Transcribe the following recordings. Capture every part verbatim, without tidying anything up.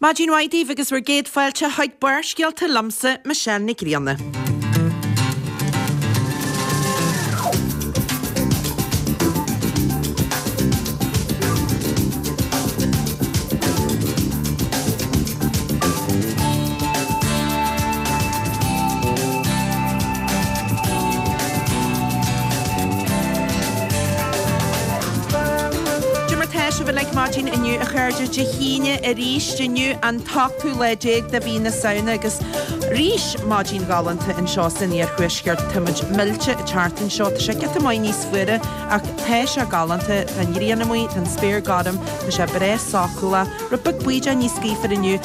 Maidin mhaith daoibh agus bhur gcéad fáilte chuig Barrscéalta liomsa, Michelle Nic Grianna. Cad é mar tá sibh uilig maidin inniu a chairde Dé hAoine arís inniu an t-ochtú lá déag de mhí na Samhna agus arís maidin ghalánta anseo san iarthuaisceart. Tá muid millte an tseachtain seo. Tá sé giota maith níos fuaire ach tá sé galánta. Tá an ghrian amuigh, tá an spéir gorm, tá sé breá sócúlach. Rud beag bídeach níos gaofar inniu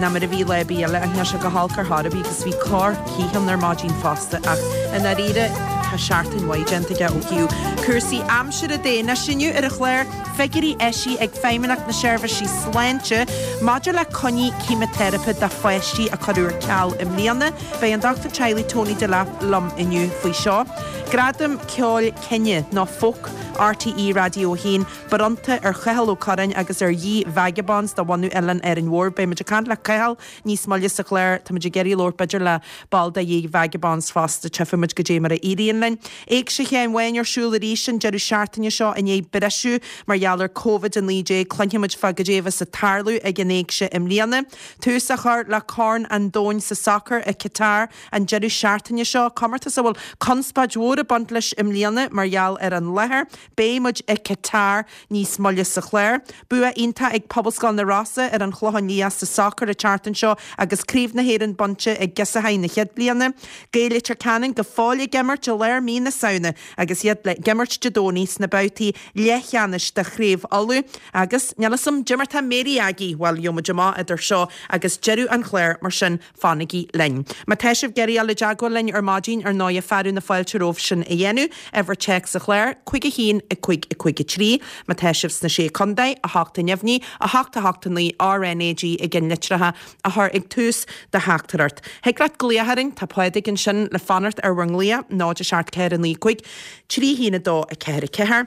ná mar a bhí lá ar bith eile ach níl sé go holc ar chor ar bith agus bhí corr cith ann ar maidin fosta ach i ndáiríre tá seachtain mhaith déanta aige ó thaobh cúrsaí aimsire de. Anois inniu ar an chlár, figiúirí eisithe ag Feidhmeannacht na Seirbhísí Sláinte maidir le coinní ceimiteiripe do pháistí a cuireadh ar ceal i mbliana. Beidh an Dochtúir Teaghlaigh Tony Delap liom inniu faoi seo. Gradam Ceoil Cine nó Folk RTÉ Raidió a haon bronnta ar Chathal Ó Curráin agus ar Ye Vagabonds de bhunadh Oileán Árainn Mhór. Beidh muid ag caint le Cathal níos moille sa chlár. Tá muid ag iarraidh labhairt b'fhéidir le ball de Ye Vagabonds fosta. Tchífidh muid goidé mar a éiríonn linn. Éigse Sheáin Bháin ar siúl arís an deireadh seachtaine seo i ndiaidh briseadh mar gheall ar Covid a naoi déag. Cluinfidh muid fá goidé a bheas ag tarlú ag an Éigse i mbliana. Tús á chur le Corn an Domhain sa Sacar i Qatar an deireadh seachtaine seo, comórtas a bhfuil conspóid mhór ag baint leis i mbliana mar gheall ar an láthair. Beidh muid i Qatar níos moille sa chlár. Bua iontach ag Pobalscoil na Rosa ar an Chlochán Liath sa sacar an tseachtain seo agus Craobh na hÉireann bainte ag Girseachaí na chéad bliana. Gaeil Leitir Ceanainn go fóill ag imirt i lár mí na Samhna agus iad le himirt Dé Domhnaigh sna babhtaí leathcheannais de Chraobh Uladh. Agus níl 'fhios a'm goidé mar tá Mary Aggie, bhuel gheobhaidh muid amach idir seo agus deireadh an chláir mar sin fanaigí linn. Má tá sibh ag iarraidh dul i dteagmháil linn ar maidin ar ndóighe fearadh na fáilte romhaibh sin a dhéanamh. Uimhir téacs an chláir, cúig a haon, a cúig, a cúig a trí. Má tá sibh sna Sé Contae, a hocht a neamhní, a hocht a hocht a naoi RnaG i gceannlitreacha a chur ag tús do theachtaireacht. Thig leat glaoch orainn, tá Pádraig ansin le fanacht ar bhur nglaoch, náid a seacht ceathair a naoi cúig, trí haon a dó a ceathair a ceathair.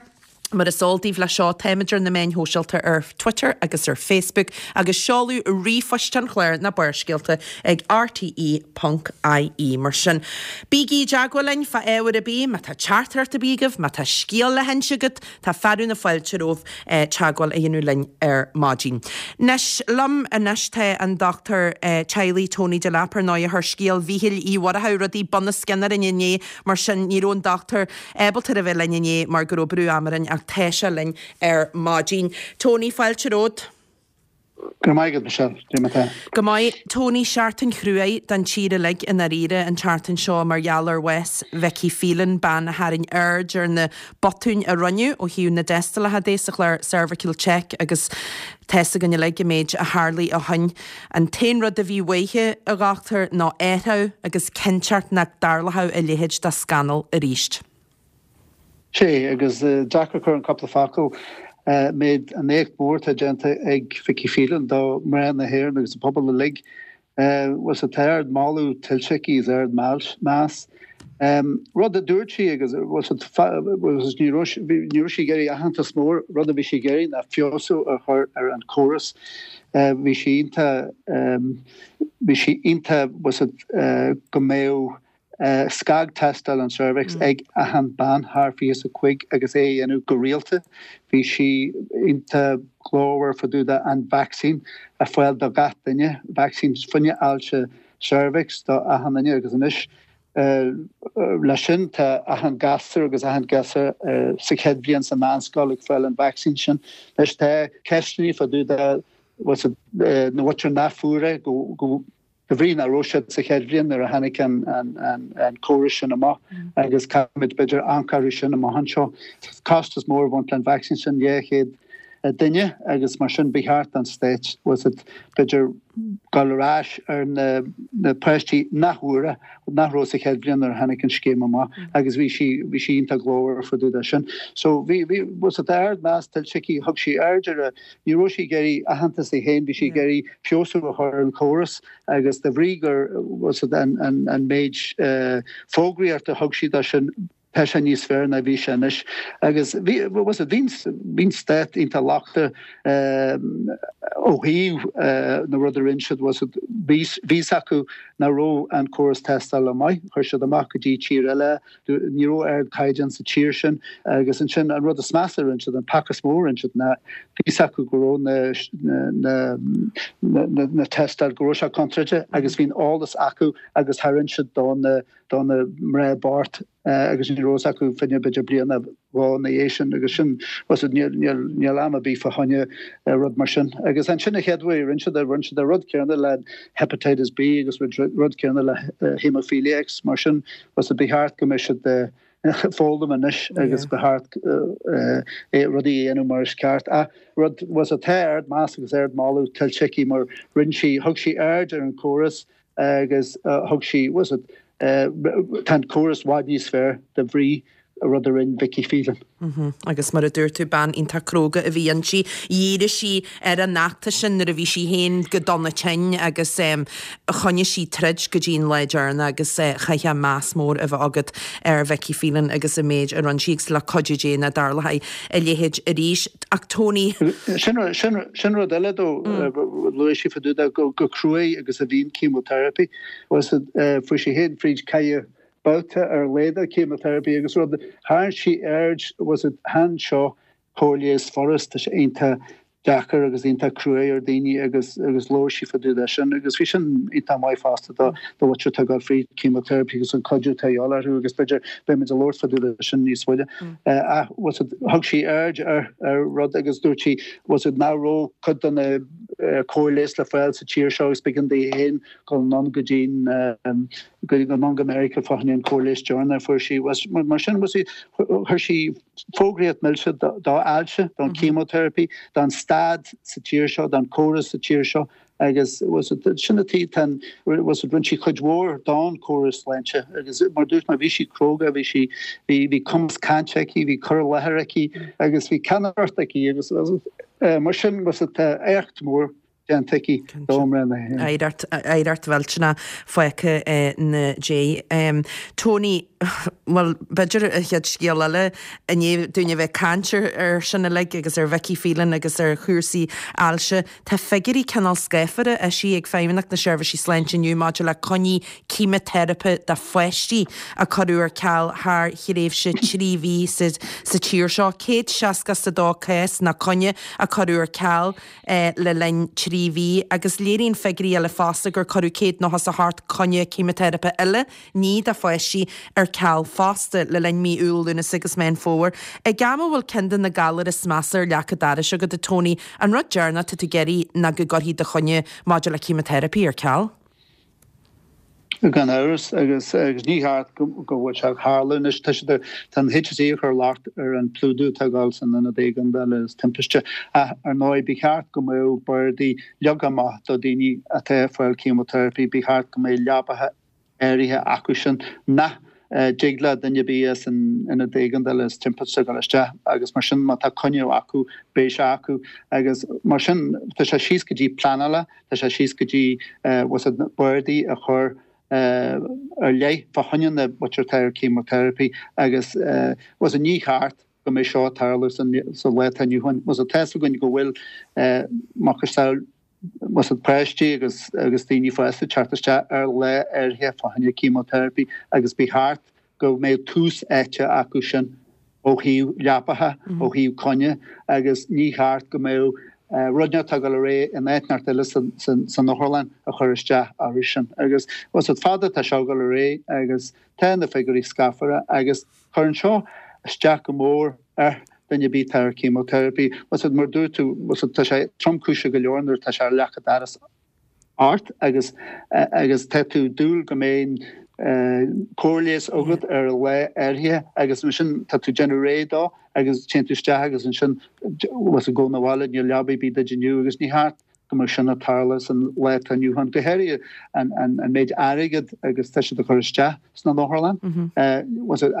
Mar is eol daoibh leis seo, táimid ar na meáin shóisialta ar Twitter agus ar Facebook agus seoladh ríomhphoist an chláir ná Barrscéalta ag rte ponc ie. Mar sin, bígí i dteagmháil linn fá ábhar ar bith, má tá teachtaireacht ar bith agaibh, má tá scéal le hinse agat, tá fearadh na fáilte romhaibh teagmháil a dhéanamh linn ar maidin. Anois, liom anois tá an Dochtúir Teaghlaigh Tony Delap, ar ndóigh, a chuir scéal Mhíchíl Uí Mhurchú rudaí bunoscionn orainn inné, mar sin ní raibh an dochtúir ábalta a bheith linn inné mar go raibh brú ama orainn ach tá sé linn ar maidin. Tony, fáilte romhat. Go raibh maith agat, Michelle. Cad é mar tá? Go maith. Tony, seachtain chruaidh don tír uilig i ndáiríre an tseachtain seo mar gheall ar bhás Vicky Phelan, bean a tharraing aird ar na botúin a rinneadh ó thaobh na dtástálacha de sa chlár Cervical Check agus tá's againn uilig an méid a tharlaigh ó shin. An t-aon rud a bhí uaithi, a dhochtúir, ná athrú agus cinnteacht nach dtarlódh a leithéid de scannal arís. Sea, agus deacair cur in cúpla focal méid an éacht mór atá déanta ag Vicky Phelan do mhná na hÉireann agus an pobal uilig. Bhuel sea, tá ard moladh tuillte aici is ard meas. Rud a dúirt sí agus bhuel sea, ní raibh ní raibh sí ag iarraidh aitheantas mór, rud a bhí sí ag iarraidh ná feabhsú a chur ar an chóras. Bhí sí iontach bhí sí iontach bhuel sea, go mbeadh scagthástáil an cervix ag achan bean thar fiche is a cúig agus é a dhéanamh go rialta. Bhí sí iontach glórmhar fá dtaobh de an vacsaín a fháil do gach duine, vacsaín fá choinne ailse cervix do achan duine agus anois leis sin tá achan gasúr agus achan gasúr sa chéad bhliain sa mheánscoil ag fáil an vacsaín sin. Anois tá ceisteanna fá dtaobh de na mhuintir nach fuair é go de bhrí nach raibh siad sa chéad bhliain nuair a tháinig an córas sin amach agus caithfimid b'fhéidir amharc orthu sin amach anseo. Costas mór a bhaint le an vacsaín sin, dhá chéad duine agus mar sin ba cheart don Stát b'fhéidir dul ar ais ar na páistí nach bhfuair é, nach raibh sa chéad bhliain nuair a tháinig an scéim amach agus bhí sí bhí sí iontach glórmhar fá dtaobh de sin. So bhí bhí bhuel sea tá ard meas tuillte aici, thug sí aird ar a ní raibh sí ag iarraidh aitheantas di féin, bhí sí ag iarraidh feabhsú a chur ar an chóras agus de bhrí gur bhuel sea an an an méid fógraíochta a thug sí dó sin Tá sé níos fearr ná bhí sé anois. Agus bhí, bhfuil a fhios agat, bhí an stát iontach lochtach ó thaobh na rud a rinne siad, bhfuil a fhios agat, bhí fhios acu nach raibh an córas tástála maith, chuir siad amach go dtí tír eile, ní raibh ardchaighdeán sa tír sin agus ansin an rud is measa a rinne siad, an peaca is mó a rinne siad ná bhí fhios acu go raibh na na na na tástáil, go raibh sé contráilte agus bhí an eolas acu agus tharraing siad do na do na mná bocht agus ní raibh fhios acu fá choinne b'fhéidir bliain nó dhó ina dhiaidh sin agus sin bhfuil a fhios agat níl níl níl am ar bith fá choinne rud mar sin. Agus ansin an chéad uair a rinne siad é rinne siad an rud céanna le hepatitis B agus rud céanna le haemophilia X mar sin bhfuil a fhios agat ba cheart go mbeidh siad ag foghlaim anois agus ba cheart rudaí a dhéanamh mar is ceart. Ach rud bhfuil a fhios agat tá ardmheas agus ardmholadh tuillte aici mar rinne sí thug sí aird ar an chóras agus thug sí bhfuil a fhios agat tá an córas i bhfad níos fearr de bhrí rud a rinne Vicky Phelan. Agus mar a dúirt tú, bean iontach cróga a bhí inti. Dhírigh sí ar an fheachtas sin nuair a bhí sí féin go dona tinn agus choinnigh sí troid go dtí an lá deireanach agus chaithfeá meas mór a bheith agat ar Vicky Phelan agus an méid a rinne sí agus le cuidiú Dé nach dtarlóidh a leithéid arís. Ach Tony. Sin sin rud eile dó, luaigh sí fá dtaobh de go cruaidh agus a bhíonn chemotherapy. Fuair sí féin fríd ceithre babhta ar a laghad de chemotherapy agus rud, tharraing sí aird, bhfuil a fhios agat, chan seo cóir leighis furast, tá sé iontach deacair agus iontach cruaidh ar daoine agus agus labhair sí fá dtaobh de sin agus bhí sin iontach maith fosta do do mhuintir atá ag dul fríd chemotherapy agus an cuidiú atá a dhíobháil orthu agus b'fhéidir beidh muid ag labhairt fá dtaobh de sin níos moille. Ach bhfuil a fhios agat, thug sí aird ar ar rud agus dúirt sí bhfuil a fhios agat nach raibh cuid de na cóir leighis le fáil sa tír seo agus b'éigean di féin dul anonn go dtí go anonn go Meiriceá fá choinne an cóir leighis deireanach a fuair sí. Mar sin chuir sí fógraíocht milse do ailse, don chemotherapy, don staid sa tír seo, don córas sa tír seo agus sin an taobh tá rinne sí cuid mhór don córas sláinte agus mar dúirt mé bhí sí cróga, bhí sí bhí cumas cainte aici, bhí cur i láthair aici agus bhí ceannaireacht aici agus mar sin tá éacht mór déanta aici do mhná na hÉireann. Oidhreacht, oidhreacht mhillteanach fágtha ina diaidh. Tony, bhuel, b'fhéidir an chéad scéal eile, i ndiaidh dúinn a bheith ag caint ar sin uilig agus ar Vicky Phelan agus ar chúrsaí ailse, tá figiúirí cineál scáfara eisithe ag Feidhmeannacht na Seirbhísí Sláinte inniu maidir le coinní ceimiteiripe do pháistí a cuireadh ar ceal thar thréimhse trí mhí sa tír seo. céad seasca is a dó cás nó coinne a cuireadh ar ceal le linn trí mhí agus léiríonn figiúirí eile fosta gur cuireadh céad nócha is a hocht coinne ceimiteiripe eile, ní do pháistí, ar ceal fosta le linn mí Iúil, Lúnasa agus Meán Fómhair. Ag am a bhfuil ceann de na galair is measa ar leac an dorais agat, a Tony, an rud deireanach atá tú ag iarraidh ná go gcuirfí do choinne maidir le ceimiteiripe ar ceal? Gan amhras, agus agus ní cheart go go bhfuil sé ag tarlú anois. Tá siad tá an HSE ag cur locht ar an plódú atá ag dul san ionad éigeandála is timpiste. Ach ar ndóigh ba cheart go mbeadh bardaí leagtha amach do daoine atá ag fáil chemotherapy, ba cheart go mbeadh leabacha áirithe acu sin nach dtig le duine ar bith as an ionad éigeandála is timpiste dul isteach agus mar sin má tá coinne acu beidh sé acu agus mar sin tá sé síos go dtí pleanála, tá sé síos go dtí bhfuil a fhios agat bardaí a chur ar leith fá choinne na muintir atá ar chemotherapy agus bhfuil a fhios agat ní cheart go mbeidh seo ag tarlú sa lá atá inniu ann. Bhfuil a fhios agat tá a fhios againn go bhfuil macasamhail bhfuil a fhios agat páistí agus agus daoine fásta ag teacht isteach ar lá áirithe fá choinne chemotherapy agus ba cheart go mbeadh tús áite acu sin ó thaobh leapacha, ó thaobh coinne agus ní cheart go mbeadh rud atá ag dul ar aghaidh in áit inteacht eile san otharlann a chur isteach orthu sin. Agus bhfuil a fhios agat fada atá seo ag dul ar aghaidh agus tá na figiúirí scáfara agus cuireann seo isteach go mór ar duine ar bith atá ar chemotherapy. Bhfuil a fhios agat mar dúirt tú, bhfuil a fhios agat tá sé tromchúiseach go leor nuair atá sé ar leac an dorais ort agus agus tá tú ag dúil go mbeidh cóir leighis agat ar lá áirithe agus ansin tá tú ag déanamh réidh dó agus téann tú isteach agus ansin bhfuil a fhios agat gabh na bhaile níl leaba ar bith duit inniu agus ní cheart go mbeadh sin ag tarlú san lá atá inniu ann, go háirithe an an méid airgead agus tá siad a chur isteach sna otharlann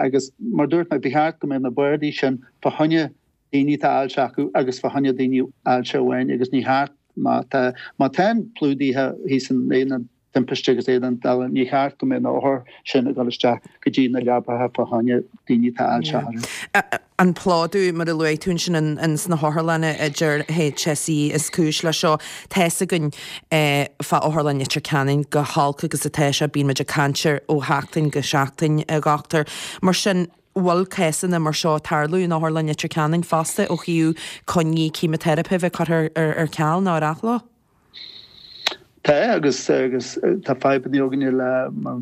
agus mar dúirt mé ba cheart go mbeadh na bardaí sin fá choinne daoine atá ailse acu agus fá choinne daoine ailse amháin agus ní cheart má tá má tá an plódaithe thíos in aonad timpiste agus éadan eile, ní cheart go mbeadh na hothair sin ag dul isteach go dtí na leapacha fá choinne daoine atá ailse orthu. An plódú, mar a luaigh tú ansin ins na hotharlanna a deir HSE is cúis leis seo. Tá's againn fá Otharlann Leitir Ceanainn go holc agus atá sé, bíonn muid ag caint air ó sheachtain go seachtain, a dhochtúir. Mar sin, bhfuil cásanna mar seo ag tarlú in Otharlann Leitir Ceanainn fosta ó thaobh coinní ceimiteiripe bheith curtha ar ceal nó ar athló? Tá agus agus tá fadhbanna againne le mar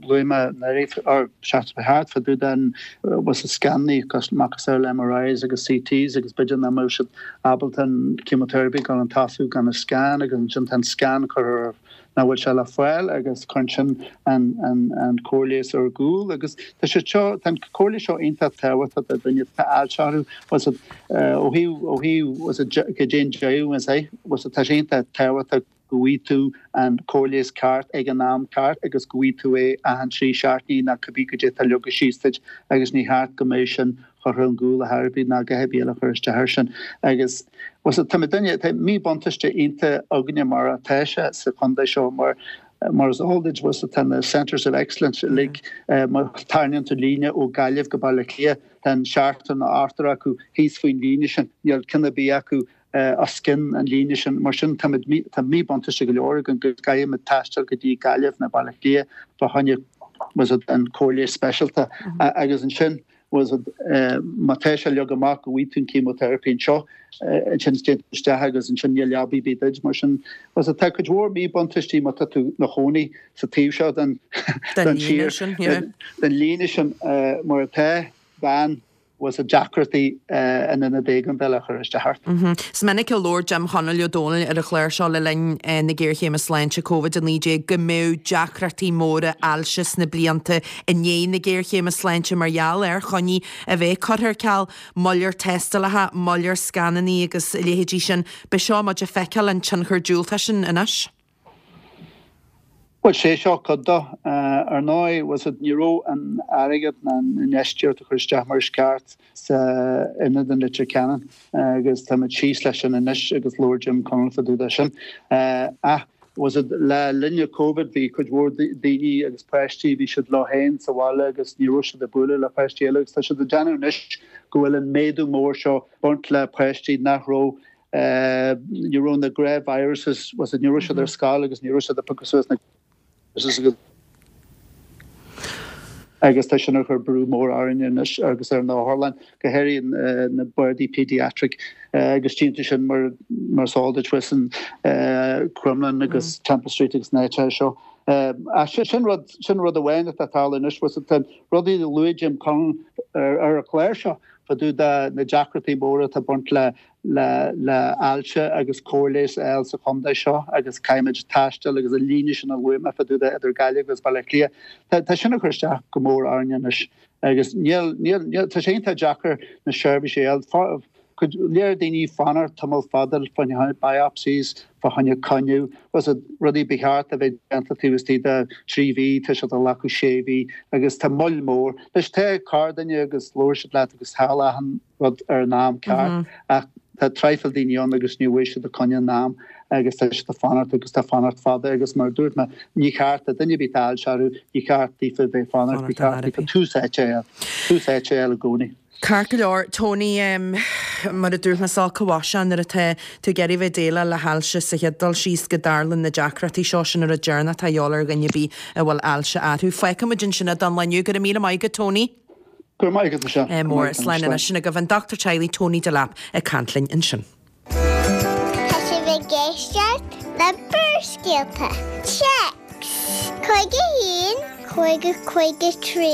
luaigh mé anuraidh or seachtain ba thart fá dtaobh den was a scannaí macasamhail MRIs agus CTs agus b'fhéidir nach mbeadh siad ábalta an chemotherapy gan an tosú gan an scan agus ansin tá an scan curtha ar nach bhfuil sé le fáil agus cuireann sin an an an cóir leighis ar gcúl agus tá sé seo tá an cóir leighis seo iontach tábhachtach do dhuine atá ailse orthu was it ó thaobh ó thaobh was it go dtéann deireadh is é was it tá sé iontach tábhachtach go bhfaighidh tú an cóir leighis ceart ag an am ceart agus go bhfaighidh tú é achan trí seachtainí nó cibé goidé atá leagtha síos duit agus ní cheart go mbeadh sin curtha ar gcúl ar chor ar bith ná a dhath ar bith eile a chur isteach air sin agus was it tá muidinne tá míbhuntáiste iontach againne mar atá sé sa chontae seo mar mar is eol duit was it tá na Centres of Excellence uilig má tharraingíonn tú líne ó Gaillimh go Baile Átha Cliath tá an seachtar nó ochtar acu thíos faoin líne sin níl ceann ar bith acu os cionn an líne sin. Mar sin, táimid, tá míbhuntáiste go leor againn go gcaithfimid taisteal go dtí Gaillimh nó Baile Átha Cliath fá choinne was it an cóir leighis speisialta agus ansin was it má tá sé leagtha amach go bhfaighidh tú an chemotherapy anseo ansin téann tú isteach agus ansin níl leaba ar bith duit. Mar sin was it tá cuid mhór míbhuntáistí má tá tú 'na chónaí sa taobh seo den den tír den líne sin mar atá gan was it deacrachtaí in ionad éigeandála a chur isteach ort. Is minic a labhair Jim Chonaill Ó Dónaill ar an chlár seo le linn na géarchéime sláinte Covid a naoi déag go mbeadh deacrachtaí móra ailse sna blianta i ndiaidh na géarchéime sláinte mar gheall ar choinní a bheith curtha ar ceal, moill ar tástálacha, moill ar scanannaí agus a leithéidí sin. B'é seo muid ag feiceáil an tionchar diúltach sin anois. Bhuel, sé seo cuid de. Ar ndóigh, was it, ní raibh an airgead ná an infheistíocht a chur isteach mar is ceart sa ionad in Leitir Ceanainn agus táimid síos leis sin anois agus labhair Jim Connell fá dtaobh de sin. Ach was it, le linn Covid bhí cuid mhór daoine agus páistí, bhí siad leo féin sa bhaile agus ní raibh siad ag bualadh le páistí eile agus tá siad ag déanamh anois go bhfuil an méadú mór seo baint le páistí nach raibh ní raibh na gnáth-viruses, was it, ní raibh siad ar scoil agus ní raibh siad ag piocadh suas na agus tá sin ag cur brú mór orainne anois agus ar na hotharlanna, go háirithe na bardaí pediatric agus tchíonn tú sin mar mar is eol duit thuas in Crumlin agus Temple Street agus na háiteacha seo. Ach sin rud, sin rud amháin atá ag tarlú anois, was it, tá rudaí a luaigh Jim Connell ar an chlár seo fá dtaobh de na deacrachtaí móra atá ag baint le le le ailse agus cóir leighis a fháil sa chontae seo agus caithfimid taisteal agus an líne sin a luaigh mé fá dtaobh de idir Gaillimh agus Baile Átha Cliath. Tá tá sin ag cur isteach go mór orainne anois agus níl níl níl tá sé iontach deacair na seirbhísí a fháil. Cuid léir daoine fanacht tamall fada fá choinne biopsies, fá choinne coinne, was it rudaí ba cheart a bheith déanta taobh istigh de trí mhí, tá siad ag glacadh sé mhí agus tá moill mhór. Anois tá corrduine agus labhair siad leat agus thall achan rud ar an am ceart ach tá traidhfil daoine ann agus ní bhfaighidh siad a coinne in am agus tá siad ag fanacht agus tá fanacht fada agus mar a dúirt mé ní cheart do duine ar bith atá ailse orthu, ní cheart daofa bheith ag fanacht, ba cheart daofa tús áite a fháil, tús áite a fháil i gcónaí. Ceart go leor, Tony, mar a dúirt mé is olc an mhaise é nuair atá tú ag iarraidh bheith ag déileáil le hailse sa chéad dul síos go dtarlann na deacrachtaí seo, sin an rud deireanach atá a dhíobháil ar dhuine ar bith a bhfuil ailse orthu. Fágfaidh muid ansin é don lá inniu. Go raibh míle maith agat, Tony. Go raibh maith agat, Michelle. Mór, slán anois. Sin agaibh an dochtúir teaghlaigh Tony Delap ag caint linn ansin. Tá sibh ag éisteacht le Barrscéalta. Téacs cúig a haon, cúig a cúig a trí.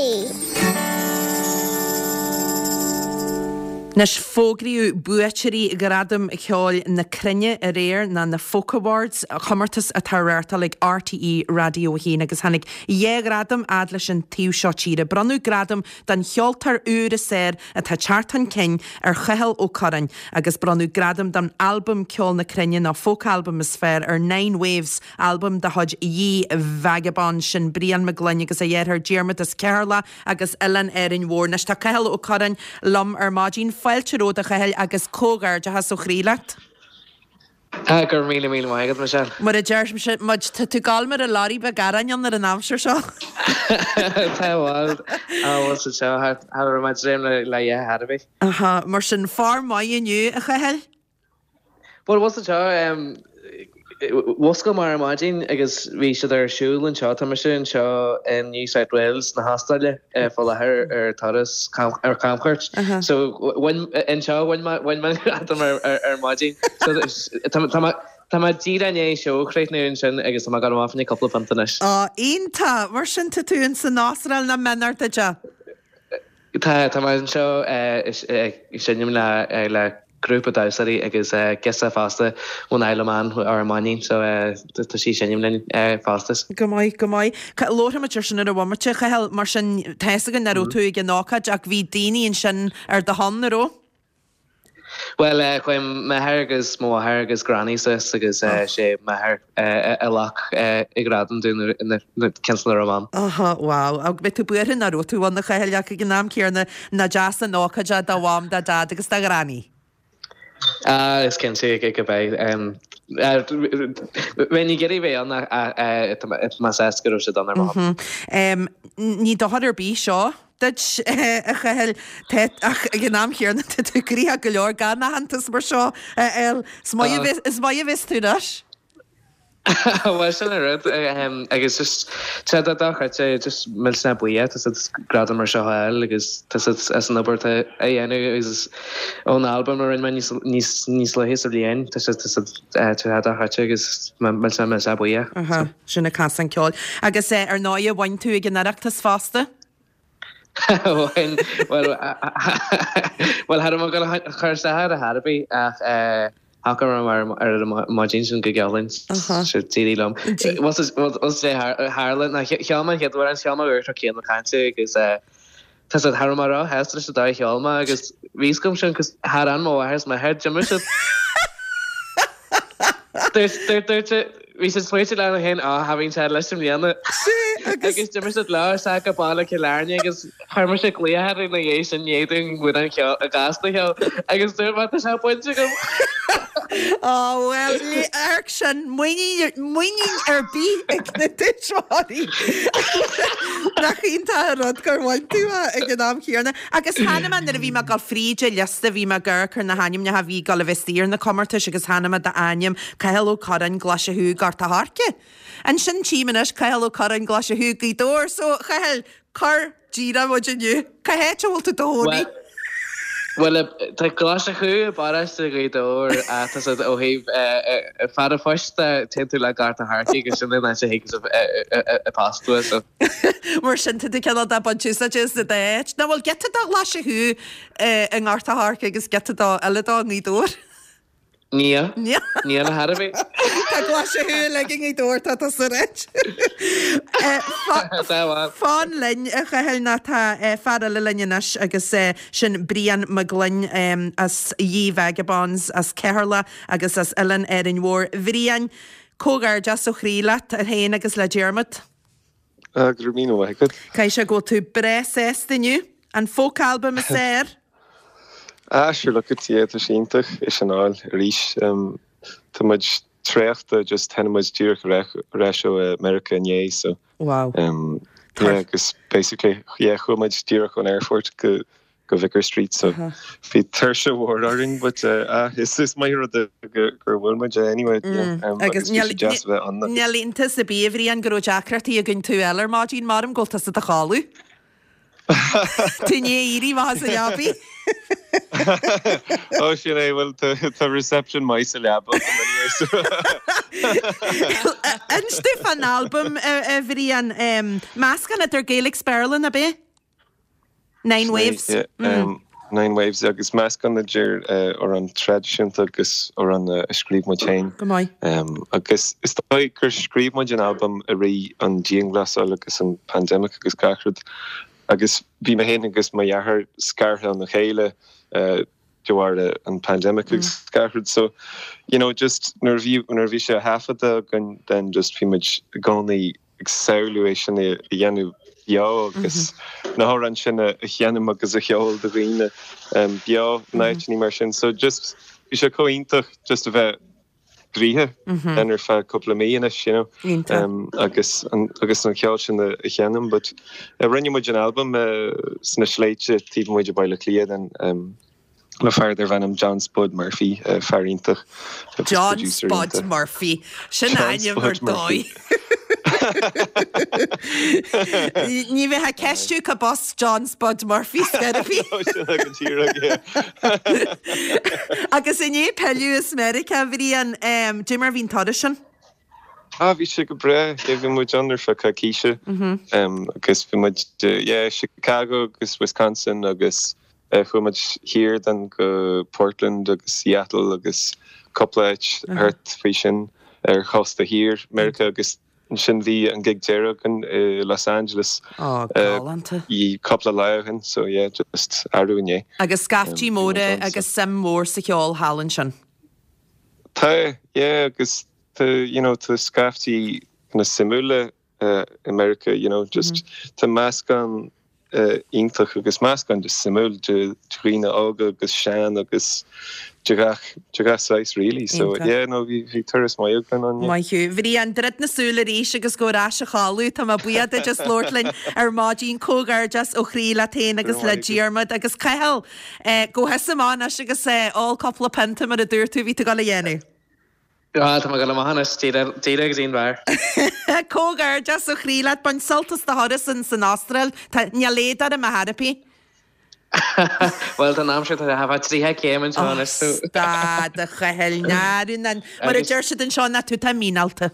Anois, fógraíodh buaiteoirí Ghradaim Cheoil na Cruinne aréir, nó na Folk Awards, comórtas atá á reáchtáil ag RTÉ Raidió a haon, agus tháinig dhá ghradam fhad leis an taobh seo tíre. Bronnadh gradam don cheoltóir úr is fearr atá ag teacht chun cinn ar Chathal Ó Curráin agus bronnadh gradam don albam Ceol na Cruinne nó Folk Album is fearr ar Nine Waves, albam de chuid Ye Vagabonds, sin Brian Mac Gloinn agus a dheartháir Diarmuid as Ceatharlach agus Oileán Árainn Mhór. Anois tá Cathal Ó Curráin liom ar maidin. Fáilte romhat a Chathail agus comhghairdeachas ó chroí leat. Ah, go raibh míle míle maith agat, Michelle. Mar a deir muid, tá tú ag gabháil mar a lorry beag aráin ann ar an aimsir seo. Tá bhuel, á bhuel sa seo, cha raibh mé ag dréim le le a dhath ar bith. Aha, mar sin form maith inniu, a Chathail? Bhuel, bhuel sa seo, mhuscail mé ar maidin agus bhí siad ar siúl anseo, tá mise anseo in New South Wales na hAstráile faoi láthair ar turas ar camchuairt. So bhain anseo bhain mé bhain mé an gradam ar ar maidin. So tá tá mé tá mé díreach i ndiaidh seó a chríochnú ansin agus tá mé ag dul amach fá choinne cúpla pionta anois. Á, iontach! Mar sin tá tú ins an Astráil nach méanar duit é. Tá, tá mé anseo ag seinm le le grúpa damhsóirí agus girseach fosta ón Isle of Man ár mbeainín so tá sí ag seinm linn fosta. Go maith, go maith. Labharfaidh muid ar sin ar an bhomaite, a Chathail, mar sin tá fhios againn nach raibh tú ag an ócáid ach bhí daoine ansin ar do shon, an raibh? Bhuel, chuaigh m'athair agus mo mháthair agus granny suas agus sé m'athair a ghlac an gradam dúinn cionn is nach raibh mé ann. Aha, wow. Ach beidh tú buartha nach raibh tú ann a Chathail ach ag an am céanna nach deas an ócáid é do mham, do dhaid agus do ghranny. Ah, is cinnte go beidh. Bheinn ag iarraidh bheith ann ach tá mé sásta go raibh siad ann ar mo shon. Ní dochar ar bith seo duit, a Chathail, ach ag an am chéanna tá tú gnoitheach go leor gan aitheantas mar seo a fháil. Is maith a bheas tú anois. Bhuel sin an rud agus just tá sé dochreidte just millteanach buíoch tá siad gradam mar seo a fháil agus tá siad as an obair atá á dhéanamh agus ón albam a rinne mé níos níos níos luaithe sa bhliain tá siad tá siad tá sé dochreidte agus millteanach millteanach buíoch. Aha, sin an casán ceoil. Agus ar ndóigh bhain tú ag an Oireachtas fosta? Bhain, bhuel bhuel cha raibh mé ag dul a chur isteach air ar chor ar bith ach eh Thacaigh mé ar an maidin sin go geal sé d'éirigh liom. Bhuel sé tharla ná cheol mé an chéad amhrán, cheol mé uair céanna cainte agus tá siad cha raibh mé róshásta leis an dóigh a cheol mé agus bhí fhios agam sin cos char fhan mo mháthair is m'athair d'imigh siad. Dúirt bhí siad smaointe lena féin á cha bhíonn sé leis i mbliana. Agus d'imigh siad leo isteach go baile Chill Airne agus chuir mise glaoch orthu ina dhiaidh sin i ndiaidh dúinn amhrán ceoil a gcasta cheol agus dúirt mé tá sé bainte agam. Á bhuel, ní amharc sin muinín muinín ar bith ag na tuismitheoirí. Nach iontach an rud gur bhain tú é ag an am chéanna. Agus chonaic mé nuair a bhí mé ag dul fríd an liosta bhí mé ag amharc ar na hainmneacha a bhí ag dul a bheith istigh ar na comórtais agus chonaic mé d'ainm Cathal Ó Curráin, Glaise Chú, Gort a' Choirce. Ansin tchím anois Cathal Ó Curráin, Glaise Chú, Gaoth Dobhair. So, a Chathail, cuir díreach muid inniu. Cá háit a bhfuil tú i do chónaí? Bhuel, tá Glaise Chú i bparóiste Ghaoth Dobhair ach tá siad ó thaobh fear an phoist de, téann tú le Gort a' Choirce agus sin an áit a thig an post uait. So. Mar sin, tá tú cineál de baint úsáide as an dá áit. Nó bhfuil giota de Ghlaise Chú i nGort a' Choirce agus giota de eile de i nGaoth Dobhair? Níl. Níl ar chor ar bith. Tá Glaise Chú uilig i nGaoth Dobhair, tá tusa right. Fan linn, a Chathail, nó tá fear eile linn anois agus sin Brian Mac Gloinn as Ye Vagabonds as Ceatharlach agus as Oileán Árainn Mhór. A Bhriain, comhghairdeas ó chroí leat féin agus le Diarmuid. Go raibh míle maith agat. Caithfidh sé go bhfuil tú breá sásta inniu. An folk album is fearr. Ah, sure look it, yeah, tá sé iontach é sin a fháil arís. Tá muid traochta, just tháinig muid díreach ar ais ó Meiriceá inné, so. Wow. Yeah, agus basically, yeah, chuaigh muid díreach ón airport go go Vicar Street, so bhí tuirse mhór orainn, but ah, is is maith rud gur gur bhfuil muid anyway, yeah, agus bhí sé deas a bheith ann agus. Níl iontas ar bith, a Bhriain, go raibh deacrachtaí againn tú a fháil ar maidin, maram go bhfuil tusa i do chodladh. Tú i ndiaidh éirí amach as an leabaidh. Ó sin é, bhuel tá reception maith sa leaba agam anyway so. Inis dúinn fán albam, a Bhriain. Meascán idir Gaeilge 's Béarla, ab é? Nine Waves. Nine Waves agus meascán idir amhráin traidisiúnta agus amhráin a scríobh muid féin. Go maith. Agus is dóigh gur scríobh muid an albam i rith an dianghlasáil agus an pandemic agus gach rud agus bhí mé féin agus mo dheartháir scartha óna chéile de bharr an pandemic agus gach rud so you know just nuair a bhí nuair a bhí sé á thaifeadadh againn then just bhí muid i gcónaí ag samhlú é sin a dhéanamh beo agus na hamhráin sin a sheinm agus a cheol do dhaoine beo in áiteanna mar sin. So just bhí sé chomh iontach just a bheith gnoithe mm ar feadh cúpla mí anois you know um, agus an, agus an ceol sin a sheinm but uh, rinne muid an album uh, sna sléibhte taobh amuigh de Bhaile Átha Cliath an um, le fear darbh ainm John Spud Murphy uh, fear iontach John Spud Murphy sin ainm ar dóigh. Ní bheith ceistiú cá bas John Spud Murphy therapy. Agus inné pilleadh as Meiriceá Bhriain cad é mar bhí an turas sin? Ah bhí sé go breá bhí muid ann ar feadh coicíse agus bhí muid yeah, Chicago agus Wisconsin agus uh, chuaigh muid thiar then go Portland agus Seattle agus cúpla áit thart faoi sin ar chósta thiar Meiriceá agus sin bhí an gig deireadh in uh, Los Angeles oh, galánta. i cúpla lá ó shin so yeah, just arú inné. Agus scaiftí móra agus suim mór sa cheol thall ansin. Tá yeah, agus tá you know tá scaiftí na suimiúla uh, America you know just mm -hmm. tá meascán uh, iontach agus meascán just suimiúil de dhaoine óga agus sean agus de gach de gach saghas really so Iontach. yeah no bhí bhí turas maith againn ann yeah. Maith thú. Bhriain druid na súile arís agus gabh ar ais a chodladh Tá mé buíoch duit as labhairt linn ar maidin comhghairdeas ó chroí leat féin agus le Diarmuid agus Cathal eh, gabh thusa amach anois agus eh, ól cúpla pionta mar a dúirt tú bhí tú ag dul a dhéanamh. Ah, tá go maith díreach agus aon bhar. Comhghairdeas ó chroí leat bain sult as do thuras in san Astráil Tá níl éad ar a therapy. Well tá aimsir tá ha tríocha céim anseo Stad a Chathail náú mar a deir siad anseo ná tú tá míneálta.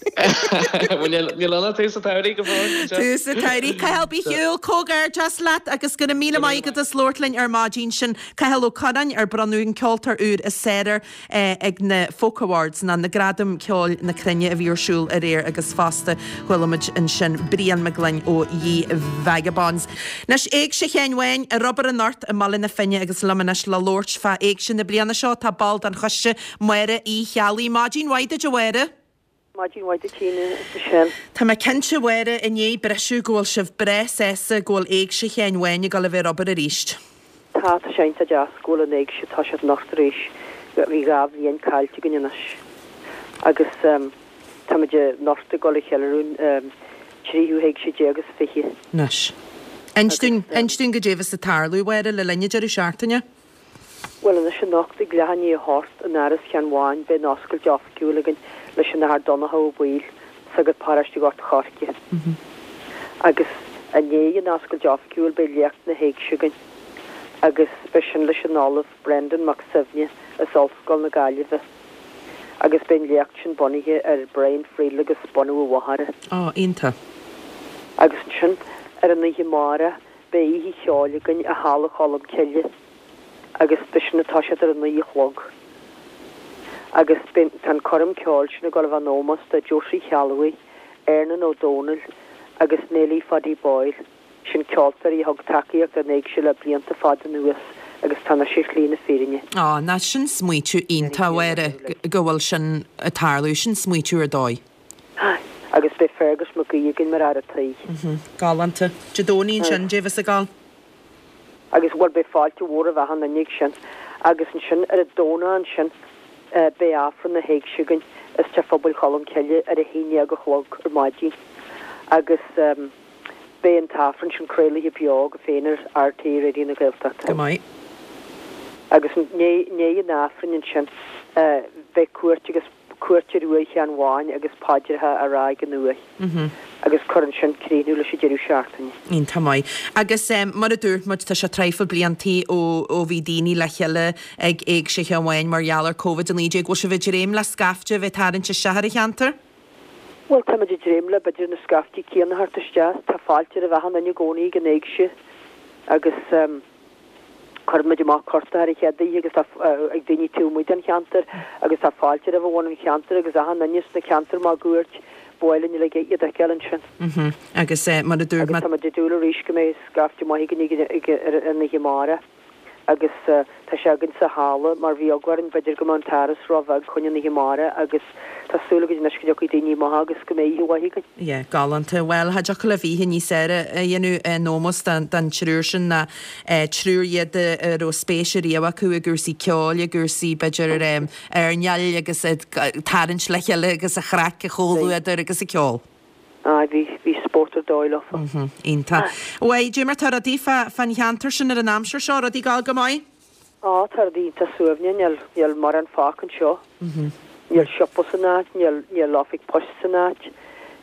Níl anna tú sa tarí go fóill. Tú sa tarí Cathal bí shiúil comhghairdeas leat agus go raibh míle maith agat as labhairt linn ar maidin sin Cathal Ó Curráin ar bronnadh an ceoltóir úr is fearr eh, ag na Folk Awards ná na Gradaim Ceoil na Cruinne a bhí ar siúl aréir agus fosta chuala muid ansin Brian Mac Gloinn ó Ye Vagabonds. Anois Éigse Sheáin Bháin ar obair anocht i mBaile na Finne agus liom anois le labhairt fá éigse na bliana seo tá ball den choiste Máire Uí Cheallaigh Maidin mhaith duit a Mháire. Maidin mhaith duit Tina is Michelle. Tá mé cinnte Mháire i ndiaidh briseadh go bhfuil sibh breá sásta go bhfuil Éigse Sheáin Bháin ag dul a bheith ar obair arís. Tá tá sé iontach deas go bhfuil an éigse tá sé anocht arís bhí dhá bhliain caillte againn anois. Agus um, táimid anocht ag dul a cheiliúradh um, tríú héigse déag agus fiche. Anois. Inis dúinn inis dúinn cad é a bheas ag tarlú Mháire le linn an deireadh seachtaine? Well anois anocht ag leath i ndiaidh a hocht in Áras Sheáin Bháin beidh an oscailt oifigiúil againn leis an Athair Donncha Ó Baoill sagart paróiste Ghort Choirce. Agus i ndiaidh an oscailt oifigiúil beidh léacht na héigse againn. Agus beidh sin leis an Ollamh Brendan Mac Suibhne as Ollscoil na Gaillimhe. Agus beidh an léacht sin bunaithe ar Brian Friel agus bunú an Mhachaire. Ó, iontach. Agus ansin ar an oíche amárach beidh oíche cheoil againn i Halla Cholm Cille. Agus beidh sin atá siad ar a naoi a chlog. Agus tá an coirm ceoil sin ag dul a bheith in ómós do Josie Cheallmhaigh, Ernan Ó Dónaill agus Nelly Faddy Boyle. Sin ceoltóirí a thug tacaíocht don éigse le blianta fada anuas agus tá na sé shlí na fírinne. Á, ná sin smaoitiú iontach Mháire go bhfuil sin ag tarlú sin smaoitiú ar dóigh. Agus beidh Fergus Mac Aoidh againn mar fhear an tí. Galánta. Dé Domhnaigh ansin cad é a bheas ag dul. Agus bhfuil beidh fáilte mhór roimh achan duine ag sin. Agus ansin ar an Domhnach ansin beidh Aifreann na héigse againn i Teach Phobail Cholm Cille ar a haon déag a chlog ar maidin. Agus um, beidh an t-aifreann sin craolta beo go féin ar RTÉ Raidió na Gaeltachta. Go maith. Agus i ndiaidh an aifrinn ansin uh, beidh cuairt agus cuairt ar uaigh Sheáin Bháin agus paidreacha á rá ag an uaigh. Mm Agus cuireann sin críochnú leis an deireadh seachtaine. Iontach maith. Agus um, mar a dúirt muid tá sé traidhfil bliantaí ó ó bhí daoine le chéile ag Éigse Sheáin Bháin mar gheall ar Covid a naoi déag, bhfuil sibh ag dréim le scaifte bheith tarraingt isteach ar an cheantar? Well tá muid ag dréim le b'fhéidir na scaiftí céanna a thabhairt isteach, tá fáilte roimh achan duine i gcónaí ag an éigse agus um, chuir muid amach cárta ar an chéad oíche agus tá uh, ag daoine taobh amuigh den cheantar agus tá fáilte roimh bhunadh an cheantair agus achan duine sna ceantair máguaird b'áil linn iad a fheiceáil ansin. Mm Agus uh, mar a dúirt Agus tá muid ag dúil arís go mbeidh scaifte maith againn ar an oíche amárach Agus tá sé againn sa halla mar bhí eagla orainn b'fhéidir go mbeadh an t-áras róbheag chun an oíche amárach agus tá súil againn anois go dtiocfaidh daoine maithe agus go mbeidh oíche mhaith againn. Yeah, galánta. Bhuel, cha dtiocfadh libh oíche níos fearr a dhéanamh in ómós don triúr sin ná triúr iad a raibh spéis ariamh acu i gcúrsaí ceoil, i gcúrsaí b'fhéidir airneáil agus ag tarraingt le chéile agus an chraic, an chomhluadar agus an ceol. Aye, bhí, bhí spórt ar dóigh leofa. Mhm, iontach. Bhuel, dé mar tá rudaí fá, fán cheantar sin ar an aimsir seo, rudaí ag gabháil go maith? Á, tá rudaí iontach suaimhneach, níl, níl mórán fágtha anseo. Mhm. Níl siopa san áit, níl, níl oifig poist san áit.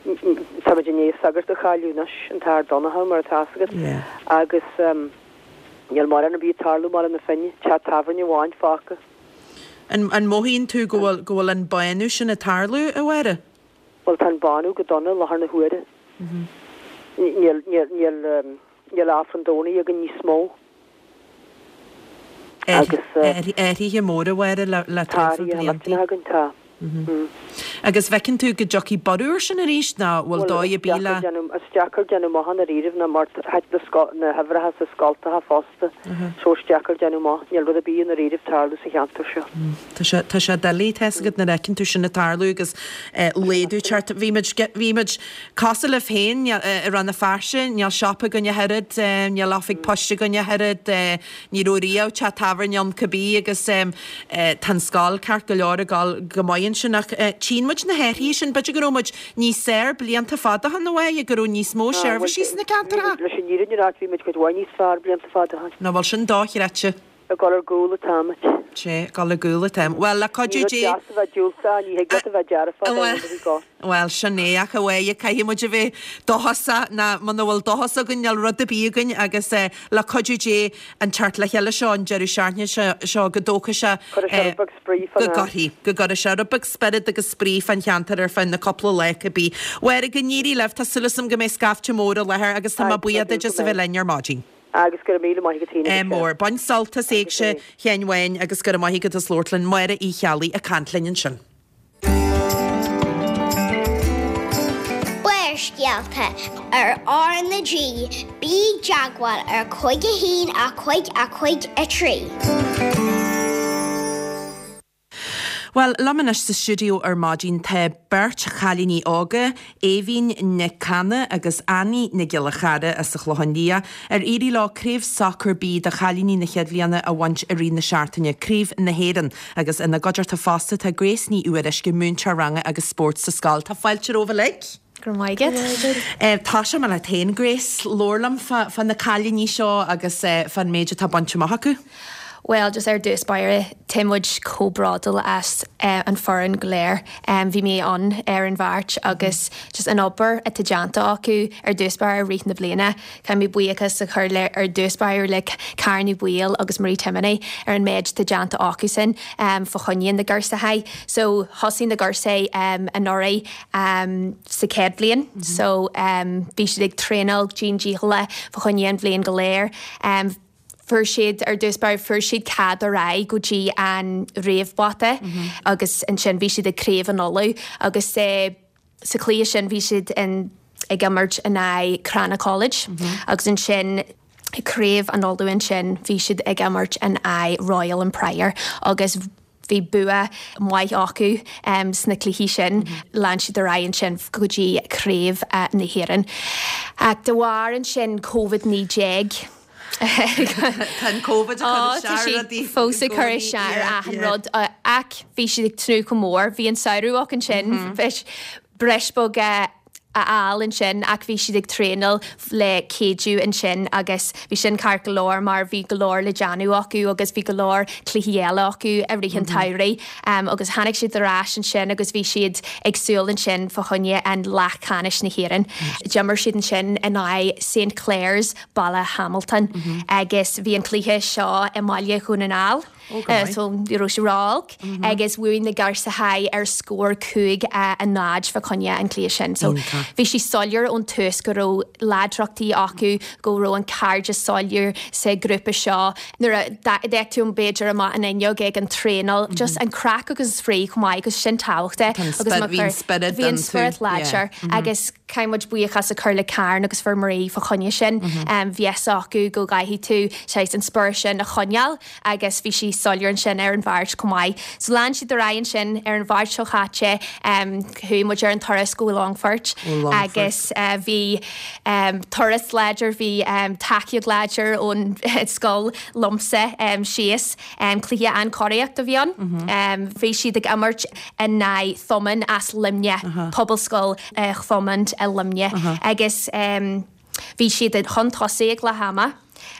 Táimid i ndiaidh sagart a chailleadh anois, an tAthair Donncha, mar atá fhios agat. Yeah. Agus ehm, níl mórán ar bith ag tarlú i mBaile na Finne, teach tábhairne amháin fágtha. An, an mothaíonn tú go bhfuil, go bhfuil an bánú sin ag tarlú, a Mháire? Bhuel, tá an bánú go dona i láthair na huaire. Níl, níl, níl, níl Aifreann Domhnaigh againn níos mó. Agus. Athruithe móra, a Mháire, le, le Tá traidhfil athruithe blianta. millteanacha againn, tá. Agus bhfeiceann tú go dtiocfaidh borradh air sin arís nó bhfuil dóigh ar bith le. Is deacair déanamh amach i ndáiríribh ná mar thit na na huimhreacha sa scoltacha fosta so is deacair déanamh amach. Níl rud ar bith i ndáiríribh tarlú sa cheantar seo. Tá sé tá sé doiligh, tá fhios agat nuair a fheiceann tú sin ag tarlú agus laghdú ag teacht. Bhí muid bhí muid cosúil libh féin i Rann na Feirste, níl siopa againn ach oiread, níl oifig poist againn ach oiread, ní raibh riamh teach tábhairne ann cibé agus tá an scoil ceart go leor ag dul go maith ansin ach tchíonn muid na hathruithe sin, b'fhéidir go raibh muid níos fearr blianta fada ó shin a Mháire, go raibh níos mó seirbhísí sna ceantracha. Leis an fhírinne a ráit bhí muid cuid mhaith níos fearr blianta fada ó shin. Nach bhfuil sin dochreidte? Ag dul ar gcúl atáimid. Sea, ag dul ar gcúl atáim. Bhuel, le cuidiú Dé. Ní rud deas a bheith diúltach, ní thig leat a bheith dearfach, Bhuel, bhuel, sin é, ach a Mháire, caithfidh muid a bheith dóchasach, ná muna bhfuil dóchas againn, níl rud ar bith againn agus le cuidiú Dé an teacht le chéile seo an deireadh seachtaine seo go dtógfaidh sé Cuirfidh sé rud beag spraoi fán go gcuirfidh, go gcuirfidh sé rud beag spiorad agus spraoi fán cheantar ar feadh na cúpla lá cibé. Mháire, go n-éirí libh, tá súil agam go mbeidh scaifte mór i láthair agus tá mé buíoch duit as a bheith linn ar maidin. Agus go raibh míle maith agat féin Ádh mór. Bain sult as Éigse Sheáin Bháin agus go raibh maith agat as labhairt linn. Máire Uí Cheallaigh ag caint linn ansin. Barrscéalta ar R na G, bí i dteagmháil ar cúig a haon a cúig a cúig a trí. Bhuel, liom anois sa stiúideo ar maidin tá beirt chailíní óga, Aoibhín Nic Cana agus Annie Nic Giolla Chara as an Chlochán Liath, ar éirigh leo Craobh Sacair B do chailíní na chéad bhliana a bhaint i rith na seachtaine, Craobh na hÉireann, agus ina gcuideachta fosta tá Grace Ní Fhuaruisce, múinteoir ranga agus spóirt sa scoil. Tá fáilte romhaibh uilig. Go raibh maith agat. Tosóidh mé leat féin, Grace. Labhair liom fá na cailíní seo agus fán méid atá bainte amach acu. Bhuel, just ar dtús báire, tá muid chomh bródúil as an foireann go léir. Bhí mé ann ar an Mháirt agus just an obair atá déanta acu ar dtús báire i rith na bliana. Caithfidh mé buíochas a chur le ar dtús báire le Karen Ní Bhaoill agus Marie Timoney ar an méid atá déanta acusan fá choinne na gcúrsaí. So thosaigh na gcúrsaí anuraidh sa chéad bhliain so bhí siad ag traenáil dian dícheallach fá choinne an bhliain go léir. Fuair siad, ar dtús báire, fuair siad cead ar aghaidh go dtí an réamhbhabhta agus ansin bhí siad ag Craobh an Uladh agus sa chluiche sin bhí siad in ag imirt in aghaidh Crana College agus ansin Craobh an Uladh ansin bhí siad ag imirt in aghaidh Royal and Prior agus bhí bua maith acu sna cluichí sin. Lean siad ar aghaidh ansin go dtí Craobh na hÉireann. Ach de bharr ansin Covid naoi déag, Tá an Covid ag cur isteach ar rudaí. Fós ag cur isteach ar achan rud. Ach bhí siad ag tnúth go mór. Bhí an samhradh acu ansin. Breis beag a fháil ansin ach bhí siad ag traenáil le Keadue ansin agus bhí sin ceart go leor mar bhí go leor le déanamh acu agus bhí go leor cluichí eile acu i rith an tsamhraidh agus tháinig siad ar ais ansin agus bhí siad ag súil ansin fá choinne an leathcheannais na hÉireann. D'imir siad ansin in aghaidh Saint Clare's Baile Hamilton agus bhí an cluiche seo i mBaile Dhún na nGall. So ní raibh sé ró-olc agus bhuaigh na Girseachaí ar scór cúig a a náid fá choinne an cluiche sin. So bhí sé soiléir ón tús go raibh láidreachtaí acu, go raibh an cairdeas soiléir sa grúpa seo. Nuair a d'fhéach tú b'fhéidir amach an fhuinneog ag an traenáil, just an craic agus an spraoi chomh maith agus sin tábhachtach. Bhí an spiorad Bhí an spiorad láidir agus caithfidh muid buíochas a chur le Karen agus fir Marie fá choinne sin. Bhí fhios acu go gcaithfidh tú saghas an spiorad sin a choinneáil agus bhí sí soiléir ansin ar an Mháirt chomh maith. So lean siad ar aghaidh ansin ar an Mháirt seo chaite chuaigh muid ar an turas go Longfort agus bhí turas láidir, bhí tacaíocht láidir ón scoil liomsa síos. Cluiche an-chóiríocht a bhí ann. Bhí siad ag imirt in aghaidh Thomond as Luimneach, Pobalscoil Thomond i Luimneach agus bhí siad chun tosaigh ag leath ama.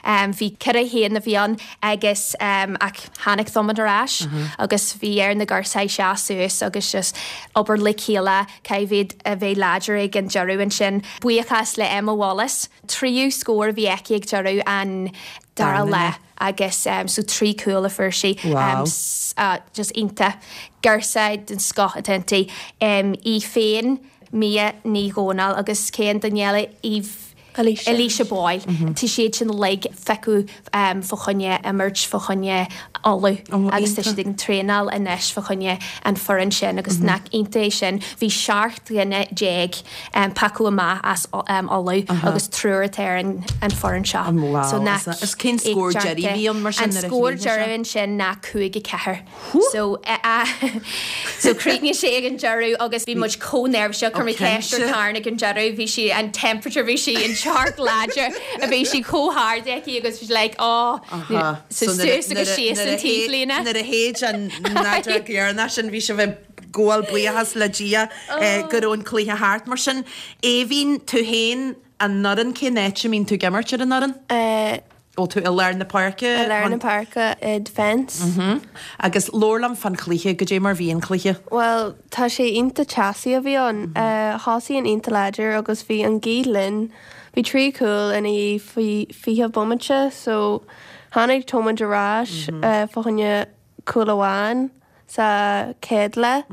Bhí ceithre haon a bhí ann agus ach tháinig Thomond ar ais agus bhí ar na girseachaí seasamh suas agus just obair le chéile caithfidh a bheith láidir ag an deireadh ansin. Buíochas le Emma Wallace, tríú scór a bhí aici ag deireadh an dara leath agus so trí cúl a fuair sí. Wow. Just iontach. Girseach den scoth atá inti. Í féin, Mia Ní Dhomhnaill agus cén duine eile Eve Alicia. Alicia Boyle. Tá siad sin uilig feicthe fá choinne imirt fá choinne Uladh agus tá siad ag traenáil anois fá choinne an foireann sin agus nach iontach é sin. Bhí seacht dhuine déag pioctha amach as Uladh agus triúr atá ar an an foireann seo. Wow. So nach Is cén scór deiridh a bhí ann mar sin An nuair a scór chríochnaigh sé? deiridh ansin ná cúig a ceathair. So so chríochnaigh sé ag an deireadh agus bhí muid chomh neirbhíseach chuir mé ceist ar Karen ag an deireadh bhí sí an temperature bhí sí an teocht láidir a bhí sí chomh hard aici agus bhí like oh so suas agus síos an taobhlíne. Nuair a shéid an fheadóg dheireanach sin bhí sibh ag gabháil buíochas le Dia go raibh an cluiche thart mar sin. Aoibhín tú féin an fhoireann cén áit a mbíonn tú ag imirt ar an fhoireann? Ó tú i lár na páirce? I lár na páirce i defence. Agus labhair liom fán chluiche goidé mar bhí an cluiche. Well, tá sé iontach teasaí a bhí ann. Thosaigh an iontach láidir agus bhí an ghaoth linn. Bhí trí chúl ina dhiaidh faoi fiche bomaite, so tháinig Thomond ar ais fá choinne cúl amháin sa chéad leath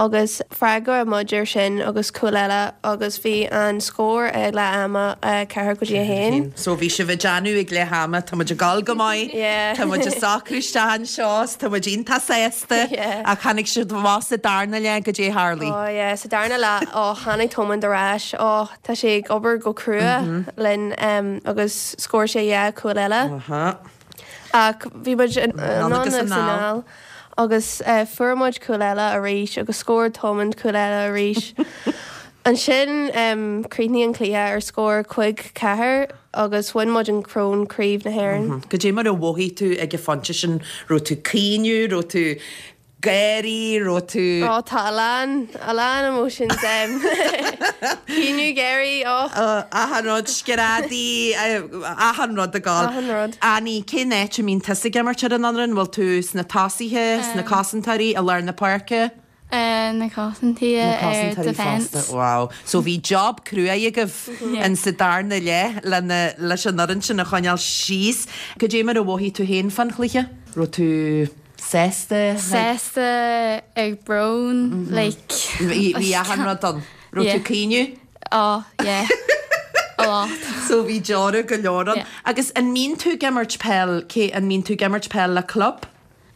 agus freagair muid ar sin agus cúl eile agus bhí an scór ag leath ama ceathair go dtí a haon. So bhí sibh ag déanamh ag leath ama tá muid ag gabháil go maith, Yeah. Tá muid ag socrú isteach anseo, tá muid iontach sásta Yeah. ach tháinig siad amach sa darna leath goidé a tharla. Oh yeah, sa darna leath ó tháinig Thomond ar ais ó tá sé ag obair go crua linn um, agus scór sé dhá cúl eile. Aha. Ach bhí muid Anonn agus anonn agus anall. anall agus uh, fuair muid cúl eile arís agus scór Thomond cúl eile arís. Ansin um, chríochnaigh an cluiche ar scór cúig ceathair agus bhain muid an corn craobh na hÉireann. Goidé mar a mhothaigh tú ag an phointe sin raibh tú caoineadh, raibh tú gáirí, raibh tú Ó tá a lán a lán emotions um, Caoineadh gáirí ó Achan rud screadaí achan rud ag gabháil. Achan rud. Annie, cén áit a mbíonn tusa ag imirt ar an fhoireann, bhfuil tú sna tosaithe, sna cosantóirí i lár na páirce? Na cosantóirí Na ar cosantóirí defence. fosta. Wow. So bhí job crua agaibh in sa darna leath lena leis an fhoireann sin a choinneáil síos. Goidé mar a mhothaigh tú féin fán chluiche? Raibh tú sásta? Sásta ag brón like Bhí bhí achan rud ann. Raibh tú Yeah. caoineadh? Oh yeah. A lot. So bhí deora go leor ann. Yeah. Agus an mbíonn tú ag imirt peil cé an mbíonn tú ag imirt peil le club?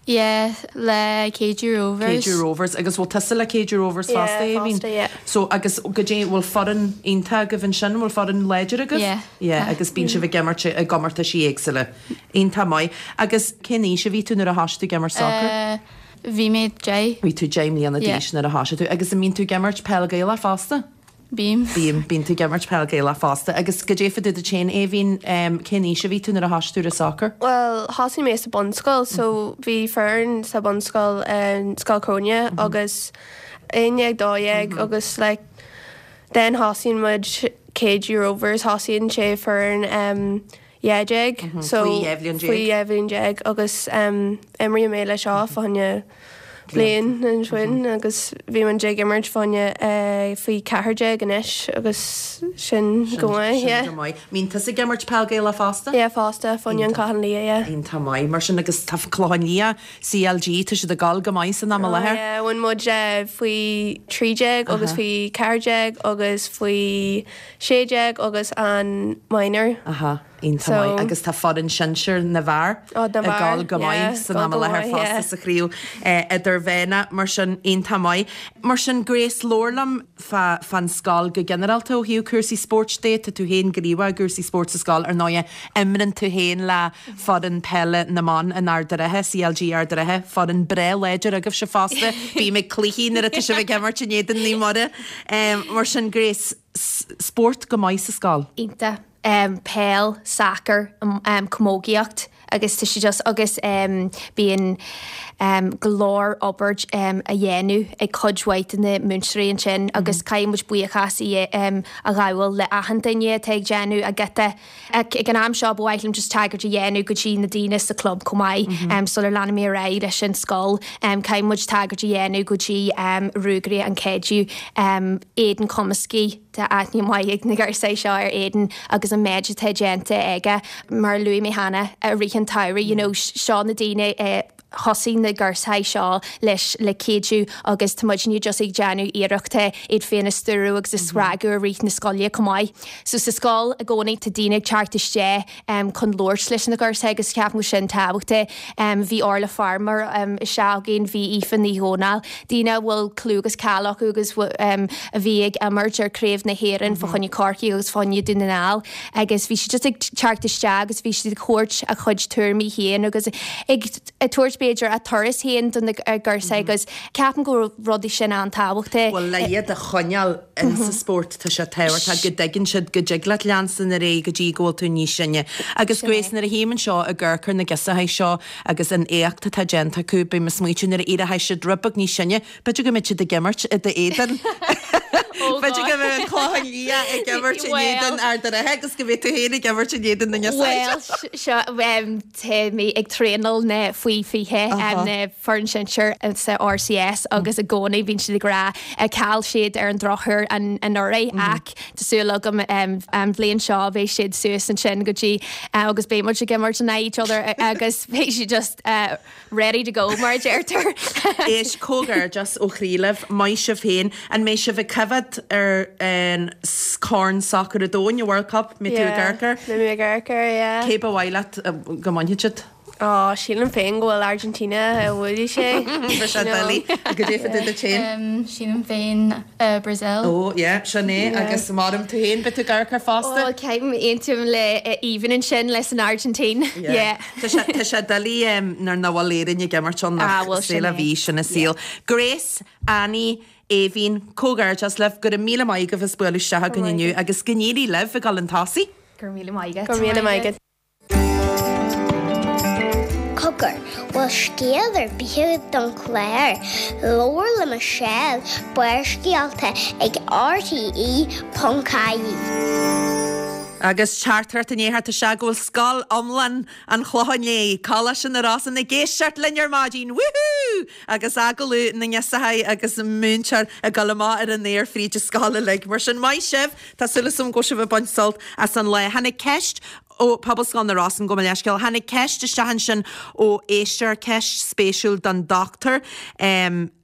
Yeah, le Keadue Rovers. Keadue Rovers agus bhfuil tusa le Keadue Rovers Yeah, fosta Aoibhín? fosta, yeah. So agus goidé bhfuil foireann iontach agaibh ansin bhfuil foireann láidir agaibh? Yeah. Yeah, agus bíonn sibh ag imirt i gcomórtaisí éagsúla. Iontach maith. Agus cén aois a bhí tú nuair a thosaigh tú ag imirt soccer? Uh, bhí mé deich. Bhí tú deich mbliana Yeah. d'aois nuair a thosaigh tú agus an mbíonn tú ag imirt peil Gaelach fosta? Bím. Bím bíonn tú ag imirt peil Gaelach fosta agus goidé fá dtaobh díot féin Aoibhín um, cén aois a bhí tú nuair a thosaigh tú ar soccer? Well, thosaigh mé sa bunscoil, so bhí foireann sa bunscoil um, Scoil Chróine agus aon dhéag dó dhéag agus like, then thosaíonn muid Keadue Rovers thosaíonn sé foireann um, dhá déag so Faoi dhá bhliain déag. faoi dhá bhliain déag agus um, imríonn mé le seo fá choinne bliain ansin agus bhí muid ag imirt fá choinne faoi ceathair déag anois agus sin go maith, yeah. Sin go maith. Mbíonn tusa ag imirt peil Gaelach fosta? Yeah, fosta, fá choinne an Clochán Liath, yeah. Iontach maith. Mar sin agus tá Clochán Liath CLG, tá siad ag gabháil go maith san am i láthair. Yeah, bhain muid faoi trí déag agus faoi ceathair déag agus faoi sé déag agus an minor. Aha. Iontach maith. Agus tá foireann sinsir na bhfear ag gabháil go maith san am i láthair fosta sa chraobh idirmheánach, mar sin iontach maith. Mar sin Grace, labhair liom fán scoil go ginearálta ó thaobh cúrsaí spóirt de. Tá tú féin gníomhach i gcúrsaí spóirt sa scoil, ar ndóighe imríonn tú féin le foireann peile na mban in Ard an Rátha, CLG Ard an Rátha, foireann breá láidir agaibhse fosta. Bím ag cluichí nuair atá sibh ag imirt in éadan Naomh Muire. Mar sin Grace, spórt go maith sa scoil. Iontach. Peil, sacar, camógaíocht agus tá sé just agus bíonn go leor obair a dhéanamh ag cuid mhaith de na múinteoirí ansin agus caithfidh muid buíochas a ghabháil le achan duine atá ag déanamh a gciota. Ag an am seo ba mhaith liom just tagairt a dhéanamh go dtí na daoine sa club chomh maith sular leanfaidh mé ar aghaidh leis an scoil. Caithfidh muid tagairt a dhéanamh go dtí Ruagairí an Chreidimh, Aidan Cumiskey, Tá aithne mhaith ag na girseachaí seo ar Aidan agus an méid atá déanta aige. Mar a luaigh mé cheana, i rith an tsamhraidh, you know, seo na daoine a thosaigh na girseachaí seo leis le cuidiú agus tá muidne just ag déanamh iarrachta iad féin a stiúradh agus a spreagadh i rith na scoile chomh maith. So sa scoil i gcónaí tá daoine ag teacht isteach chun labhairt leis na girseachaí agus ceapaim go bhfuil sin tábhachtach. Bhí Orla Farmer isteach againn, bhí Aoife Ní Dhomhnaill, daoine a bhfuil clú agus cáil acu agus a bhí ag imirt ar Craobh na hÉireann fá choinne Corcaigh agus fá choinne Dún na nGall agus bhí siad just ag teacht isteach agus bhí siad ag thabhairt a chuid tuairimí féin agus ag tabhairt b'fhéidir a turas féin do na girseachaí agus ceapaim go raibh rudaí sin an-tábhachtach. Bhuel le iad a choinneáil in sa spórt tá sé tábhachtach go dtuigeann siad go dtig leat leanstan ar aghaidh go dtí go bhfuil tú níos sine. Agus Grace nuair a tchím anseo ag amharc ar na girseachaí seo agus an éacht atá déanta acu bím ag smaoitiú nuair a éireoidh siad rud beag níos sine, b'fhéidir go mbeidh siad ag imirt i d'éadan. B'fhéidir go mbeidh an Clochán Liath ag imirt in éadan Ard an Rátha agus go mbeidh tú féin ag imirt in éadan na Bhuel seo tá mé ag traenáil na faoi fiche na foireann sinsir sa RCS agus i gcónaí bíonn siad ag rá chaill siad ar an drochuair anuraidh ach tá súil agam an bhliain seo beidh siad suas ansin go dtí agus beidh muid ag imirt in aghaidh each other agus beidh siad just ready to go mar a deirtear. Éist, comhghairdeas ó chroí libh, maith sibh féin. An mbeidh sibh ag coimhéad ar an Corn Sacair an Domhain, an World Cup? Mbeidh tú ag amharc air? Beidh mé ag amharc air, yeah. Cé ba mhaith leat go mbainfeadh siad? Ó, sílim féin go bhfuil Argentina a bhuailfidh sé. Tá sé doiligh. Goidé fá dtaobh duit féin? Sílim féin Brazil. Ó, yeah, sin é. Agus maram tú féin, beidh tú ag amharc air fosta? Ó, caithfidh mé aontú le Aoibhinn ansin leis an Argentina. Yeah. Tá sé, tá sé doiligh nuair nach bhfuil Éirinn ag imirt ann Ah, ach bhuel, sin c'est la é. vie, sin an saol. Grace, Annie, Aoibhinn, comhghairdeas libh, go raibh míle maith agaibh as bualadh isteach againn inniu agus go n-éirí libh ag dul chun tosaigh. Go raibh míle maith agat. Go raibh míle maith agat. Cogar, bhfuil scéal ar bith agat don chlár? Labhair le Michelle, Barrscéalta ag RTE ponc ie. Agus teachtaireacht i ndiaidh theacht isteach go bhfuil scoil iomlán an Chlocháin Léith, Coláiste na Rosann ag éisteacht linn ar maidin! Woohoo! Agus agallamh na ngirseachaí agus an múinteoir ag dul amach ar an aer fríd an scoil uilig. Mar sin, maith sibh! Tá súil agam go bhfuil sibh ag baint sult as an lá. Tháinig ceist ó Pobalscoil na Rosann, gabh mo leithscéal. Tháinig ceist isteach ansin ó éisteoir, ceist spéisiúil don dochtúir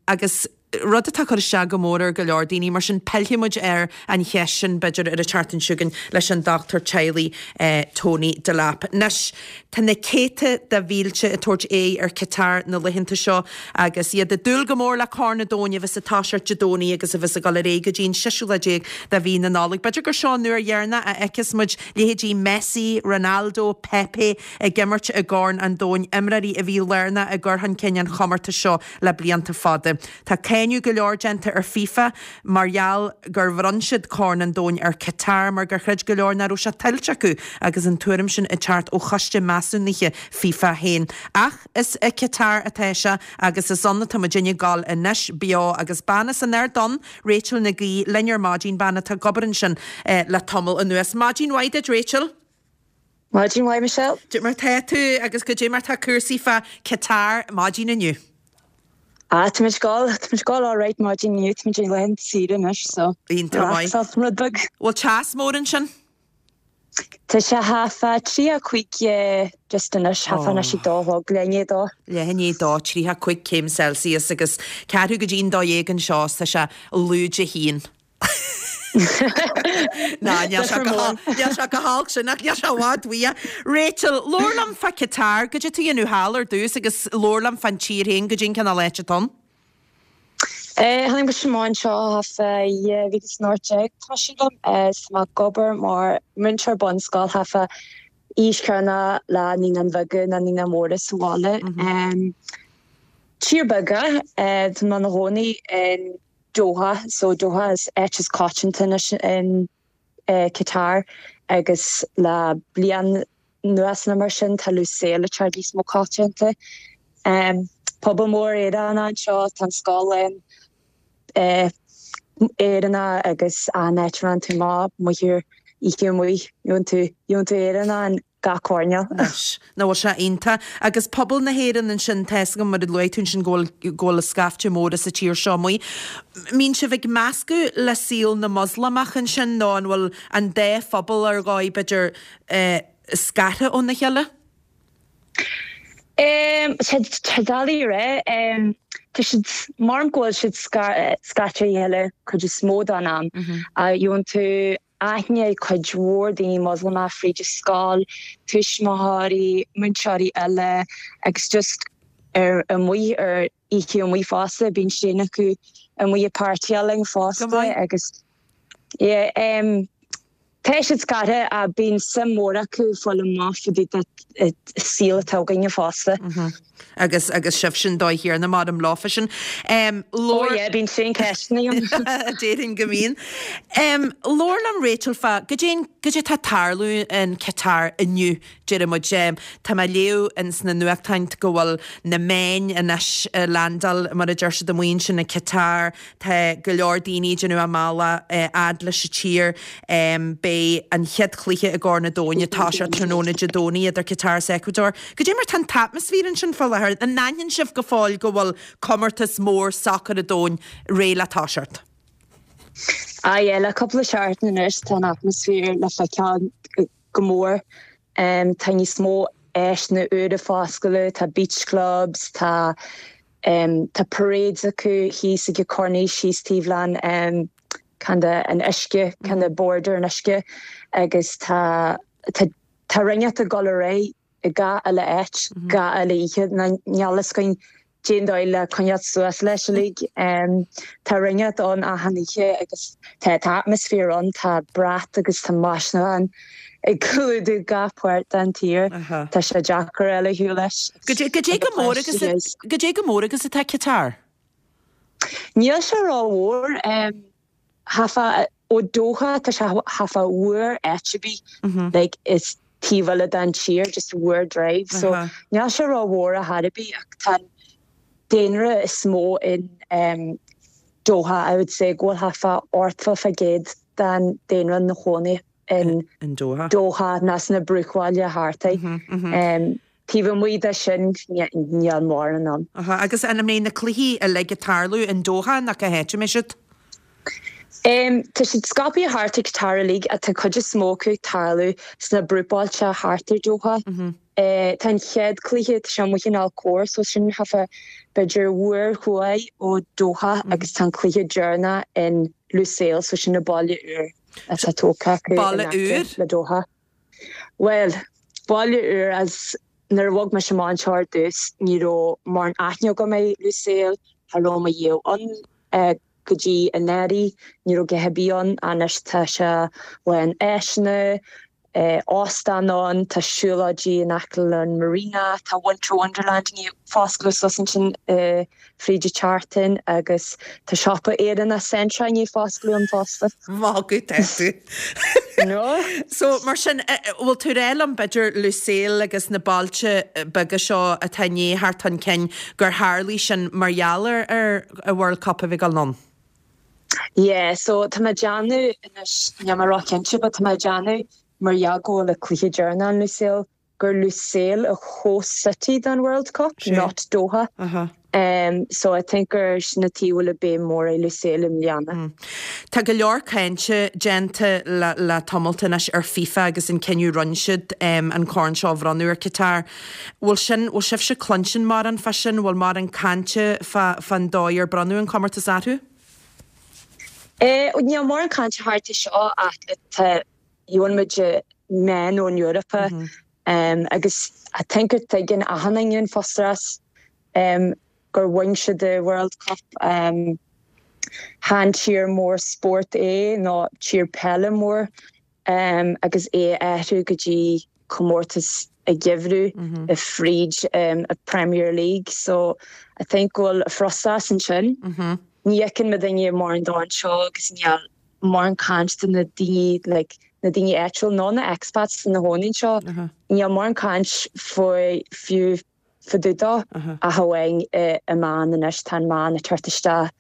agus rud atá ag cur isteach go mór ar go leor daoine, mar sin pillfidh muid ar an cheist sin b'fhéidir ar an tseachtain seo chugainn leis an dochtúir teaghlaigh Tony Delap. Anois, tá na céadta de mhílte ag tabhairt aghaidh ar Qatar na laethanta seo agus iad ag dúil go mór le Corn an Domhain a bheas ag toiseacht Dé Domhnaigh agus a bheas ag dul ar aghaidh go dtí an seisiú lá déag de mhí na Nollag. B'fhéidir gur seo an uair dheireanach a fheicfeas muid leithéidí Messi, Ronaldo, Pepe ag imirt i gCorn an Domhain, imreoirí a bhí lárnach i gcur chun cinn an chomórtais seo le blianta fada. Tá cáineadh go leor déanta ar FIFA mar gheall gur bhronn siad Corn an Domhain ar Qatar mar gur chreid go leor nach raibh sé tuillte acu agus an tuairim sin ag teacht ó choiste measúnaithe FIFA féin. Ach is i Qatar atá sé agus is ann atá muidinne ag dul anois, beo agus bean as an Ard Donn, Rachel Nic Aoidh, linn ar maidin, bean atá ag obair ansin le tamall anuas. Maidin mhaith duit Rachel. Maidin mhaith Michelle. Goidé mar tá tú agus goidé mar tá cúrsaí fá Qatar maidin inniu. Ah, tá muid ag gabháil, tá muid ag gabháil alright maidin inniu, tá muid ag laethanta saoire anois, so Iontach maith. relaxáil rud beag. Bhfuil teas mór ansin? Tá sé half a tríocha cúig just anois, half anois ag dó a chlog, leath i ndiaidh a dó. Leath i ndiaidh a dó, tríocha cúig céim Celsius agus ceathrú go dtí'n dó dhéag anseo is tá sé lúide a haon. Ná, níl sé go níl sé chomh holc sin ach níl sé i bhfad uaidh. Rachel, labhair liom fá Qatar, goidé tá tú a dhéanamh thall ar dtús agus labhair liom fán tír féin, goidé an cineál áit atá ann. Eh, tháinig mise amach anseo thart fá dhá mhíle is an ocht déag, tá sílim, is tá mé ag obair mar múinteoir bunscoil thart fá aois chéanna le naíonáin bheaga nó naíonáin mhóra sa bhaile. Tír beag é, tá mé i mo chónaí in Doha, so Doha is áit is coitianta anois in Qatar agus le bliain anuas nó mar sin tá Lusail ag teacht níos mó coitianta. Pobal mór Éireannach anseo, tá an scoil lán Éireannach agus an áit a raibh tú maith amuigh ar oíche amuigh, gheobhann tú, gheobhann tú Éireannach in gach coirnéal. Anois, nach bhfuil sé iontach. Agus pobal na hÉireann ansin, tá 'fhios agam mar a luaigh tú ansin go bhfuil, go bhfuil scaifte mór as an tír seo amuigh. Mbíonn sibh ag meascadh le saol na Moslamach ansin nó an bhfuil an dá phobal ar dhóigh b'fhéidir scartha óna chéile? Tá sé doiligh a rá. Tá siad, mar go bhfuil siad scaite ó chéile cuid is mó den am. Gheobhann tú aithne ag cuid mhór daoine Moslamach fríd an scoil, tuismitheoirí, múinteoirí eile agus just ar amuigh ar oíche amuigh fosta, bíonn sin acu amuigh ag páirtíáil linn fosta agus yeah tá siad scartha ach bíonn suim mhór acu fáil amach fá dtaobh den saol atá againne fosta. Agus agus sibh sin dóigh chéanna mar am leofa sin. Ó yeah, bíonn féin ceisteanna ann. Déarfainn go mbíonn. Labhair liom Rachel fá goidé goidé tá ag tarlú in Qatar inniu, deir muid. Tá mé ag léamh ins na nuachtáin go bhfuil na meáin anois ag landáil mar a deir siad amuigh ansin i Qatar, tá go leor daoine ag déanamh a mbealach fhad leis an tír. Beidh an chéad chluiche i gCorn an Domhain ag toiseacht tráthnóna Dé Domhnaigh idir Qatar is Ecuador. Goidé mar tá an t-atmaisféar ansin fá láthair? An n-aithníonn sibh go fóill go bhfuil comórtas mór sacair an domhain réidh le toiseacht? Ah yeah, le cúpla seachtain anois tá an atmaisféar le feiceáil go mór. Tá níos mó áiseanna úra ag foscladh, tá beach clubs, tá tá parades acu thíos ag Corniche thíos taobh leis kind of an uisce, kind of border an uisce agus tá tá tá rinneacht ag dul ar aghaidh i gach uile áit, gach uile oíche. Níl fhios againn cén dóigh le coinneáil suas leis uilig. Tá rinneacht ann achan oíche agus tá tá atmaisféar ann, tá brat agus tá maisiúcháin ag clúdú gach páirt den tír. Tá sé deacair eile shiúl leis. Goidé chomh mór agus goidé chomh mór agus atá Qatar? Níl sé rómhór. Thart fá ó Doha tá sé thart fá uair áit ar bith like is taobh eile den tír just uair drive so níl sé rómhór ar chor ar bith ach tá an daonra is mó in um, Doha I would say go bhfuil thart fá ochtó faoin gcéad den daonra ina chónaí in in Doha. Doha ná sna bruachbhaile thart air. Um, taobh amuigh de sin níl mórán ann. Aha, agus an mbeidh na cluichí uilig ag tarlú in Doha nach cá háit a mbeidh siad? Um, tá siad scaipthe thart i Qatar uilig tá cuid is mó acu ag tarlú sna bruachbhailte thart ar Doha. Mm -hmm. uh, tá an chéad cluiche tá sé amuigh in Al Khor, so sin thart fá b'fhéidir uair thuaidh ó Doha mm -hmm. agus tá an cluiche deireanach in Lusail, so sin na baile úr atá tógtha acu Baile úr? le Doha. Well, baile úr as nuair a bhog mise amach anseo ar dtús ní raibh mórán aithne agam ar Lusail, cha raibh mé riamh ann uh, go dtí anuraidh, ní raibh go bí ann anois tá sé lán áiseanna, eh, óstán ann, tá siúlóidí in aice an Marina, tá Winter Wonderland ní foscladh suas ansin uh, fríd an tseachtain agus tá siopa Éireannach Centra ní foscladh an fosta. Má go tú. No? So mar sin bhfuil tú ag rá liom b'fhéidir Lusail agus na bailte beaga seo atá ní thart an cinn gur tharlaigh sin mar gheall ar ar a World Cup a bhí ag dul ann. Yeah, so tá mé ag déanamh anois níl mé róchinnte, but tá mé ag déanamh mar gheall go bhfuil cluiche deireanach in Lusail gur Lusail a host city don World Cup, not Doha. Uh-huh. Um, so I think gur sin an tuige a bhfuil béim mór ar Lusail i mbliana. Mm. Tá go leor cainte déanta le, le tamalt anois ar FIFA agus an cinneadh rinne siad um, an corn seo a bhronnadh ar Qatar. Bhfuil sin bhfuil sibhse cluinstin mórán fá sin, bhfuil mórán cainte fán dóigh ar bronnadh an comórtas orthu? Eh, níl mórán cainte thart seo ach tá muid meáin ón Europa mm -hmm. um, agus I think gur tuigeann achan duine an frustrachas um, gur bhain siad the World Cup um, chan tír mór sport é ná tír peile mór um, agus é athrú go dtí comórtas a geimhreadh mm -hmm. a fríd um, a Premier League so I think bhfuil frustrachas ansin mm -hmm. ní fheiceann muid daoine mar an dá seo agus níl mórán caint na daoine like, na daoine áitiúil ná na expats na hóin seo níl mórán caint faoi fiú fadúda a hain i meáin anois tá meáin ag teacht isteach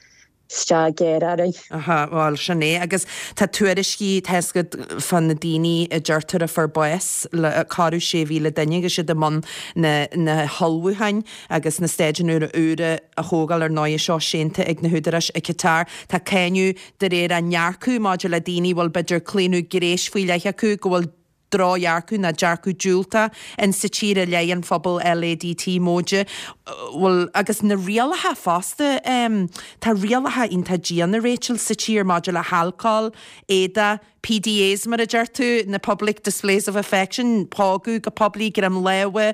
isteach géar orainn. Aha, bhuel sin é agus tá tuairiscí tesgad fan na daoine a deirtear a fuair bás le corradh sé mhíle duine agus siad i mbun na, na hullmhúcháin agus na staidiúin úra a thógáil ar ndóigh seo séanta ag na húdaráis i Qatar. Tá cáineadh de réir a ndearcadh maidir le daoine bhfuil b'fhéidir claonadh gnéis faoi leith acu go bhfuil drochdhearcadh ná dearcadh diúltach in sa tír i leith an phobal LADT móide. Bhfuil agus na rialacha fosta um, tá rialacha iontach diana Rachel sa tír maidir le halcól, éadaí, PDAs mar a deir tú, na public displays of affection, pógadh go poiblí greim láimhe.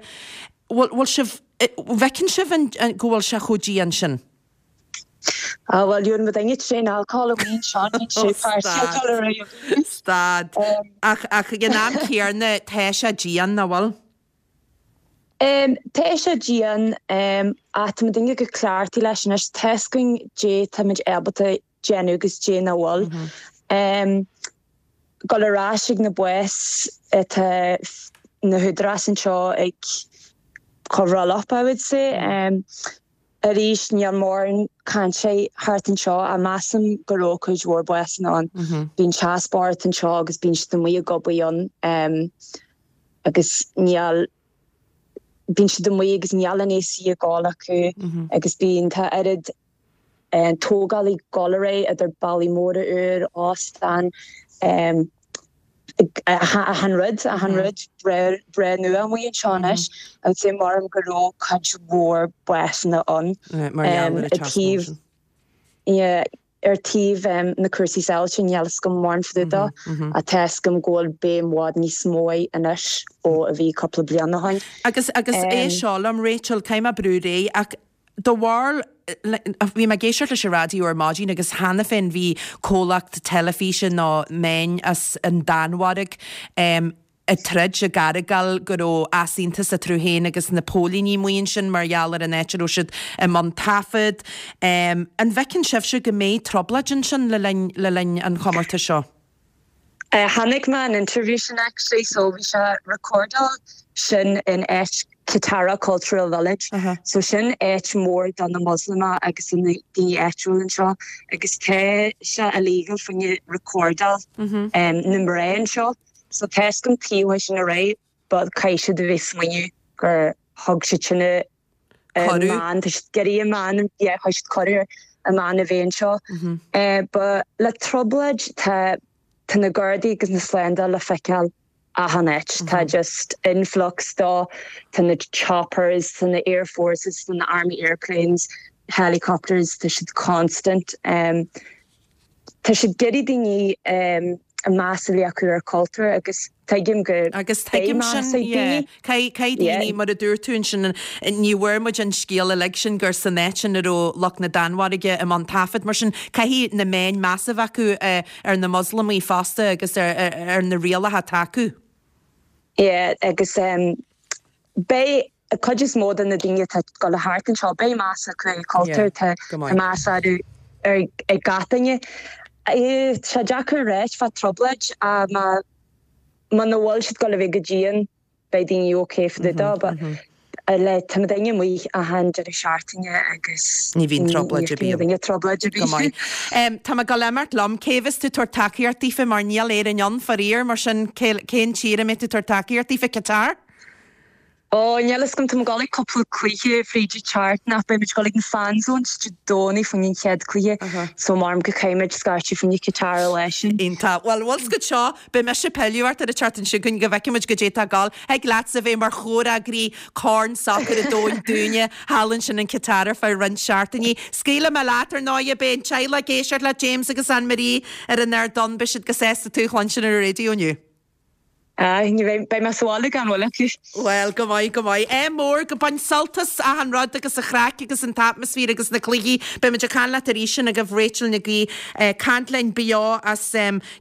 Bhfuil bhfuil sibh bhfeiceann sibh an, an, go bhfuil sé chomh dian sin? Ah well dúin mu daine tréin alcohol a bhíon seo sé Stad. Ach ach ag an am céanna tá sé dian nach bhfuil? Um, tá sé dian um, ach tá daoine go cleachtaithe leis anois tá a fhios againn dé táimid ábalta déanamh agus dé nach bhfuil. Um, Gul ar ais ag na báis tá na húdaráis anseo ag cover up I would say. Um, arís níl mórán cainte thart anseo a measaim go raibh cuid mhór básanna ann. Bíonn teaspáirt anseo agus bíonn siad amuigh ag obair ann um, agus níl bíonn siad amuigh agus níl an AC ag gabháil acu agus bíonn tá oiread um, tógáil ag gabháil ar aghaidh idir ballaí móra úr óstán um, achan rud achan rud breá nua amuigh anseo anois agus é mar go raibh cuid mhór básanna ann Mar gheall ar an ar taobh yeah, ar taobh um, na cúrsaí sábháilteachta níl a fhios agam mórán fadúda a tá a fhios agam go bhfuil béim i bhfad níos mó anois ó a bhí cúpla bliain ó shin. Agus agus é Um, seo liom Rachel caithfidh mé brú ré ach do bharr bhí mé ag éisteacht leis an raidió ar maidin agus cheana féin bhí comhlacht teilifíse nó meáin as an Danmhairg um, ag troid ag argóint go raibh easaontas eatarthu féin agus na póilíní amuigh ansin mar gheall ar an áit a raibh siad i mbun taifead. Um, an bhfeiceann sibhse go mbeidh trioblóid ansin le linn le linn an chomórtais seo? Uh, Chonaic mé an interview sin actually so bhí sé recordáil sin in áit Katara Cultural Village. Uh -huh. So sin áit mór do na Muslima agus na daoine áitiúil anseo agus tá sé illegal faoine recordáil mm -hmm. um, na mná anseo. So tá a fhios agam tí sin a ré, but caithfidh siad a bheith smaoineamh gur thug siad sinne man gurí man chuir a man a bhéon seo. Ba le trioblóid tá tá na Gardaí agus na slándáil le feiceáil achan áit tá just influx dá tá na choppers tá na air forces tá na army airplanes helicopters tá siad constant um, Tá siad ag iarraidh daoine um, a meas a bheith acu ar cultúr agus tuigim go Agus tuigim sin Caithfidh daoine mar a dúirt tú sin ní bhfuair muid an scéal uilig sin gur san áit sin a raibh lucht na Danmhairge i mbun taifead mar sin caithfidh na meáin meas a bheith acu ar na Muslamaigh fosta agus ar, ar, ar na rialacha atá acu. Yeah, agus um, beidh a cuid is mó de na daoine atá go le thart anseo beidh meas acu ar cultúr tá meas ar ar ag gach duine. Tá deacair réit fá trioblóid a má má na bhfuil siad go le bheith go dian beidh daoine okay for the but le tá daoine amuigh achan deireadh seachtaine agus Ní bhíonn trioblóid ar bith. Ní trioblóid ar Go maith. Um, Tá mé ag gabháil imeacht liom cé bheas tú tabhairt tacaíocht daofa mar níl Éirinn ann faraor mar sin cén tír a mbeidh tú tabhairt tacaíocht daofa Qatar? Ó, níl fhios agam, tá mé ag dul ag cúpla cluiche fríd an tseachtain ach beidh muid ag dul ag an fan zone Dé Domhnaigh faoin an chéad cluiche so maram go caithfidh muid scairteadh faoin Qatar leis sin. Iontach. Bhuel, bhfuil 's agat seo, beidh mise ag pilleadh ort ar an tseachtain seo chugainn go bhfeicfidh muid goidé atá ag gabháil. Thig leatsa bheith mar chomhfhreagraí Corn Sacair an Domhain dúinne thall ansin in Qatar ar feadh roinnt seachtainí. Scaoilfidh mé leat ar ndóigh, beidh an teaghlach ag éisteacht leat, James agus Anne Marie ar an ardán, beidh siad go sásta tú a chluinstin ar an raidió inniu. Ah, ní bheidh, beidh mé sa bhaile gan mhoill acu. Bhuel, go maith, go maith. Ádh mór, go bain sult as achan rud agus an chraic agus an t-atmaisféar agus na cluichí. Beidh muid ag caint leat arís sin agaibh Rachel Nic Aoidh ag caint linn beo as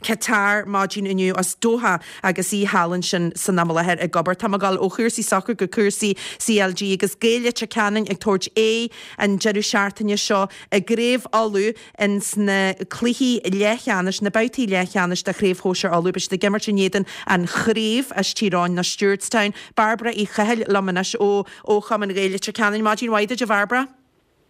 Qatar maidin inniu, as Doha agus í thall ansin san am i láthair ag obair. Tá mé ag dul ó chúrsaí sacair go cúrsaí CLG agus Gaeil Leitir Ceanainn ag tabhairt aghaidh an deireadh seachtaine seo i gCraobh Uladh ins na cluichí leathcheannais, na babhtaí leathcheannais de Chraobh Shóisir Uladh. Beidh siad ag imirt in éadan An Chraobh as Tír Eoghain nó Stewartstown. Bairbre Uí Chathail liom anois ó ó Chumann Ghaeil Leitir Ceanainn. Maidin mhaith duit, a Bhairbre.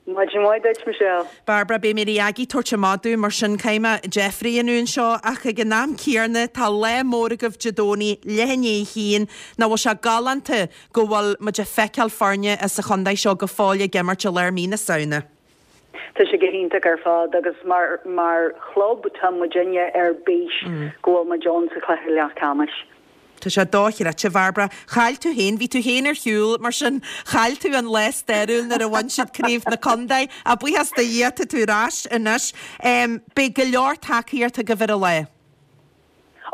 Maidin mhaith duit, Michelle. Bairbre, beidh Mary Aggie ag tabhairt amach dom, mar sin caithfidh mé deifir a dhéanamh anseo ach ag an am céanna tá lá mór agaibh Dé Domhnaigh, leath i ndiaidh a haon. Nach bhfuil sé galánta go bhfuil muid ag feiceáil foirne as an chontae seo go fóill ag imirt i lár mí na Samhna? Tá sé go hiontach ar fad agus mar mar chlub tá muidinne ar bís go bhfuil muid ann sa chluiche leathcheannais. Tá sé dochreidte, a Bhairbre. Chaill tú féin, bhí tú féin ar shiúl, mar sin chaill tú an lá stairiúil nuair a bhain siad craobh na contae. Ach buíochas do Dhia tá tú ar ais anois. Beidh go leor tacaíocht agaibh ar an lá.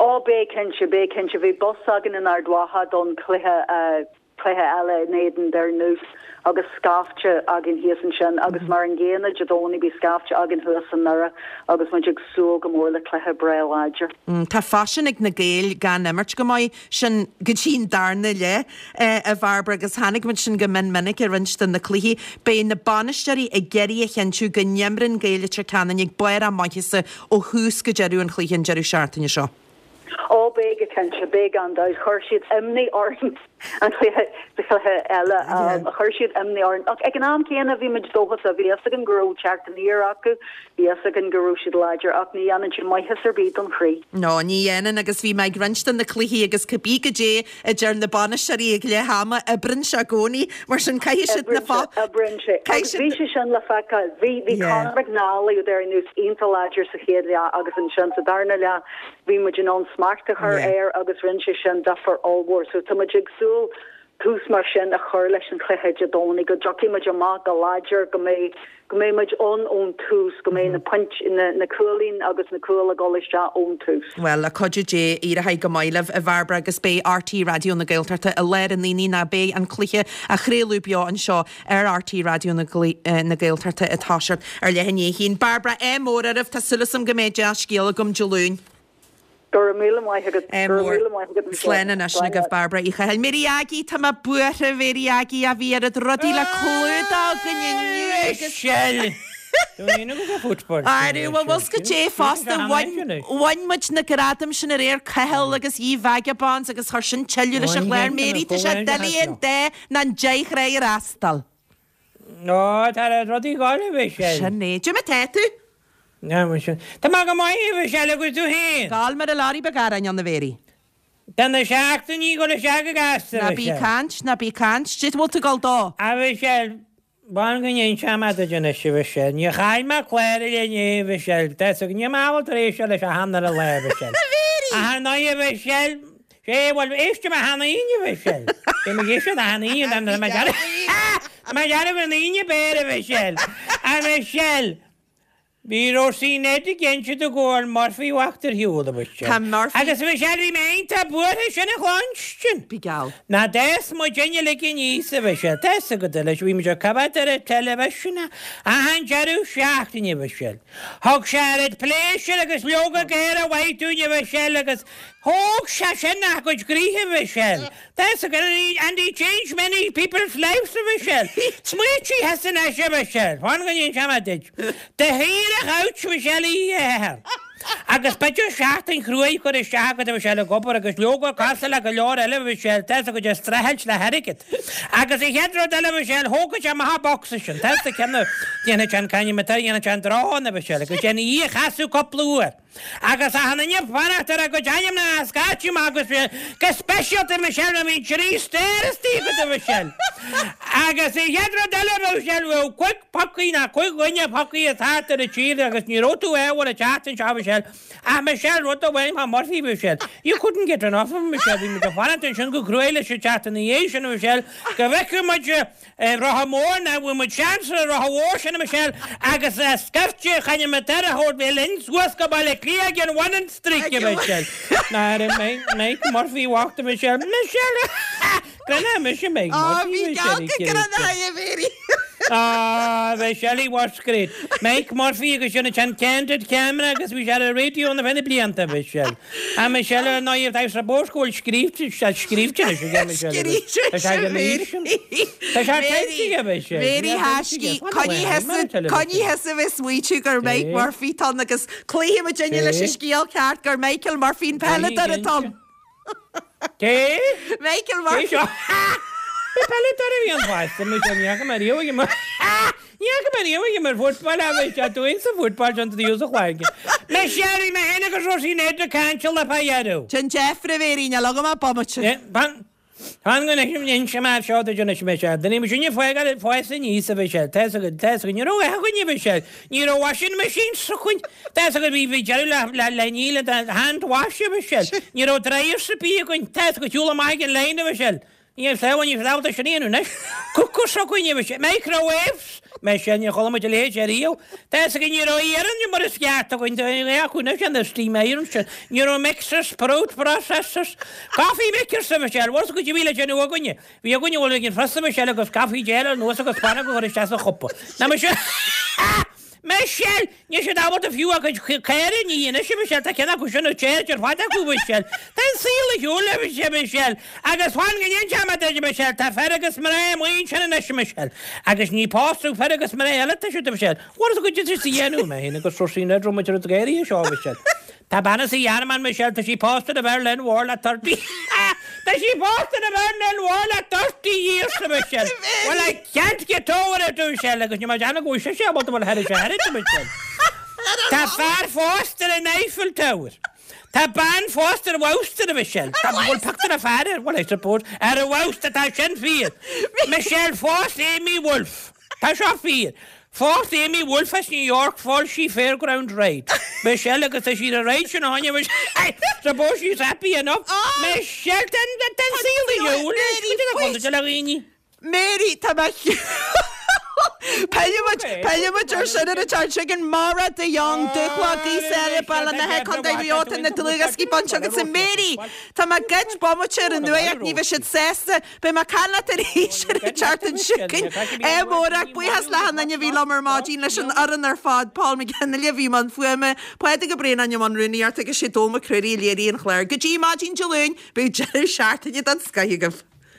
Ó beidh cinnte, beidh cinnte. Bhí bus againn in Ard Mhacha don chluiche cluiche eile in éadan Doire Núis agus scaifte againn thíos ansin agus mar an gcéanna Dé Domhnaigh beidh scaifte againn thuas i nDoire agus muid ag súil go mór le cluiche breá láidir. Tá faisean ag na Gaeil gan imirt go maith sin go dtí an darna leath, a Bhairbre, agus chonaic muid sin go mion minic i roinnt de na cluichí. Beidh na bainisteoirí ag iarraidh a chinntiú go n-imreann Gaeil Leitir Ceanainn ag barr a maitheasa ó thús go deireadh an chluiche an deireadh seachtaine seo. Ó, beidh go cinnte, beidh gan dabht. Chuir siad imní orainn an cluiche, sa chluiche eile, chuir siad imní orainn. Ach ag an am céanna bhí muid dóchasach, bhí fhios againn go raibh teacht aniar acu, bhí fhios againn go raibh siad láidir ach ní dhéanann sé maitheas ar bith don chroí. No, ní dhéanann agus bhí mé ag roinnt de na cluichí agus cibé goidé a deir na bainisteoirí ag leath ama, oibreann sé i gcónaí. Mar sin caithfidh siad na fo. Oibreann sé. Agus bhí sé sin le feiceáil. Bhí, bhí Conor McNally ó Doire Núis iontach láidir sa chéad leath agus ansin sa darna leath Bhí muid in ann smacht a chur air agus rinne sé sin difear ollmhór. So tá muid ag súil tús mar sin a chur leis an chluiche Dé Domhnaigh, go dtiocfaidh muid amach go láidir, go mbeidh, go mbeidh muid ann ón tús, go mbeidh na pointí, na, na cúilín agus na cúil ag dul isteach ón tús. Bhuel, le cuidiú Dé, éireoidh go maith libh, a Bhairbre, agus beidh RTÉ Raidió na Gaeltachta i lár an aonaigh ná beidh an cluiche á chraoladh beo anseo ar RTÉ Raidió na Gaeltachta ag toiseacht ar leath i ndiaidh a haon. Bairbre, ádh mór oraibh, tá súil agam go mbeidh dea-scéal agam Dé Luain. Go raibh míle maith agat. Ádh Go raibh mór. míle maith agat, Michelle. Slán anois Slán agaibh leat. Bairbre Uí Chathail. Mary Aggie, tá mé buartha, a Mhary Aggie, ach bhí oiread rudaí le clúdach againn inniu agus. Michelle! Arú, bhuel, bhfuil 's agat goidé fosta, bhain, bhain muid na gradaim sin aréir, Cathal agus Ye Vagabonds agus chuir sin tuilleadh leis an chlár. Mary, tá sé doiligh an dá ná an deich thráigh a fhreastal. Ó, tá na rudaí ag gabháil, a Mhichelle. Sin é. Goidé mar tá tú? Tá mé go maith, a Mhichelle, agus tú féin? Gabháil mar a leoraí beag aráin ann, a Mhary. Tá na seachtainí ag dul isteach go gasta, a Ná bí Mhichelle. ag caint, ná bí ag caint. Goidé bhfuil tú ag dul dó? A Mhichelle, B'fhearr go n-inseoidh mé duit anois, a Mhichelle. Níor chaill mé clár eile inné, a Mhichelle. Tá 'fhios agat, níl mé ábalta éisteacht leis achan uile lá, a Mhichelle. A Mhary! Ach ar ndóigh, a Mhichelle, sé, bhuel, éistfidh mé achan Aoine, a Mhichelle. Beidh mé ag éisteacht achan Aoine, tá mé ag dearmad, tá mé ag dearmad an Aoine b'fhéarr, a Mhichelle. A Mhichelle! Bhí Róisín Ned ag inse dom go bhfuil Murphy bhocht ar shiúl, a Mhichelle. Tá Murphy. Agus a Mhichelle, bhí mé iontach buartha sin a chluinstin. Bí geall. Ná d'fhás muid uilig aníos, a Mhichelle. Tá 'fhios agat anois, bhí muid ag coimhéad ar an teilifísean achan deireadh seachtaine, a Mhichelle. Thug sé oiread pléisiúir agus leoga géara mhaith dúinn, a Mhichelle, agus thóg sé sin ár gcuid gcroíthe, a Mhichelle. Tá 'fhios agat, and he changed many people's lives, a Mhichelle. Smaoitigh thusa anois, a Mhichelle. Fan go n-inseoidh mé duit. Do shaoire couch, Mhichelle, oíche Shathairn. Agus b'fhéidir seachtain chruaidh curtha isteach agat, a Mhichelle, ag obair agus leoga cosúil le go leor eile, a Mhichelle, tá 'fhios agat, ag streachailt le hairgead. Agus an chéad rud eile, a Mhichelle, thógfadh sé amach an bocsa sin, tá 'fhios agat, ceann a dhéanfadh sé an cainnim atá, dhéanfadh sé an drón, a Mhichelle, agus déanfaidh í a chasadh cúpla uair. Agus achan duine ag fanacht ar a gcuid ainmneacha a scairteadh amach agus go speisialta Michelle a bhí trí stór istigh agat a Mhichelle. Agus an chéad rud eile a Mhichelle bheadh cúig phocaí ná cúig dhuine phocaí thart ar an tír agus ní raibh tú ábhar a teacht anseo a Mhichelle. Ach Michelle rud amháin fá Murphy Michelle. You couldn't get enough of him Michelle. Bhí muid ag fanacht ansin go cruaidh leis an tseachtain ina dhiaidh sin a Mhichelle go bhfeicfeadh muid Rotha Mór ná bhfuil muid seans ar an rotha mhór sin a Michelle agus scaifte chan muid ar a thabhairt bheith linn suas go Baile Átha Cliath ag an Wannon Street a Michelle. Ná ar Mike Murphy walked a Michelle. Michelle! Grana mise Mike Á Murphy bhí Michelle geall go grana a Mhary. Ah, Michelle he was great. Mike Murphy agus sin an candid camera agus bhí sé ar an raidió na bheith blianta Michelle. A Michelle ar ndóigh tá sa bóscóil scríobhte scríobhte leis aige Michelle. Scríobhte Tá sé ag an aois sin. Tá sé caite aige Michelle. Mary Haskey, coinnigh thusa bheith smaoitiú gur Mike Murphy tá ann agus cloífidh muid inniu leis an scéal ceart gur Michael Murphy an peileadóir atá ann. Cé? Michael Cé Murphy. seo? Bhí peileadóir a bhí an fásta Michelle ní fhaca mé riamh ag imirt. Ní fhaca mé riamh ag imirt football a bhí sé dúinn sa football sin tríú sa chloigeann. Michelle bhí mé féin agus Róisín Ned ag caint le fá dheireadh. Sin deifre Mhary, níl agam ach bomaite. Fan Fan go n-inse mé seo duit anois Michelle. Duine muid sinne fágáil fás aníos a Mhichelle. Tá fhios agat, tá fhios agat, ní raibh aon dhuine Mhichelle. Ní raibh washing machine s'againn. Tá fhios agat, bhí bhí deireadh le le le ní le hand wash a Mhichelle. Ní raibh dryers ar bith againn. Tá fhios agat, siúl amach ag an line a Mhichelle. Ní raibh sleamhain, ní raibh sleamhain sin a dhéanamh anois. Cooker s'againn a Mhichelle. Microwaves. Michelle, níor chuala muid a leithéid ariamh. Tá fhios agat, ní raibh iarann mar is ceart againn. Tá acu anois an steam iron sin. Ní raibh mixers, fruit processors, coffee makers a Mhichelle. Bhfuil fhios agat a bhí le déanamh againne. Bhí againne bhfuil ag an phreasa Michelle agus caife déanamh anuas agus panna go chur isteach sa chupa. Ná Michelle! Michelle! Níl siad ábalta fiú a gcuid caora a ní anois a Michelle, tá ceann acu sin ag téir ar fad acu Michelle. Tá an saol ar shiúl a Michelle. Agus fan go n-inseoidh mé duit a Michelle, tá fear agus mná amuigh ansin anois a Michelle. Agus ní pósadh fear agus mná eile atá siad a Michelle. Bhfuil fhios agat cad is a dhéanamh mé féin agus Róisín Ned raibh muid ar an gcaoraí seo a Michelle. Tá bean as an Ghearmáin Michelle, tá sí pósta ar Bheirlin Mhór le thirty Tá sí pósta ar Bheirlin Mhór le thirty years a Michelle. Well I can't get over it a Michelle agus ní mar dearna go bhfuil sé ábalta bhfuil thar sé thar a Michelle. Tá fear pósta ar an Eiffel Tower. Tá bean pósta ar bhabhta a Michelle. Tá bhfuil pictiúr a fear ar well I suppose ar a bhabhta tá sin fíor. Michelle phós Amy Wolf. Tá seo fíor. Phós Amy Wolf as New York fuair sí Fairground Ride. Michelle agus tá sí a ride sin áine Suppose she's happy enough. Michelle ten ten saol a shiúl le dhaoine. Mary tá mé Peillimid ar sin ar an tear sin Mara de Jong Dúchla Gaoth Baile na Contae Riota na dlúgascí bainte agus sa Mary Tá mé geit bomaite ar an nuacht ní bheidh siad sásta Beidh mé ag caint leat arís ar an tseachtain seo chugainn. É Mórach, buíochas le hachan duine a bhí liom ar maidin leis an fhoireann ar fad, Paul McGinley a bhí i mbun fuaime, Pádraig Ó Braonáin i mbun rúnaíochta agus sé Dónall Mac Ruairí a léirigh an clár. Go dtí maidin Dé Luain, beidh deireadh seachtaine den scoith agaibh.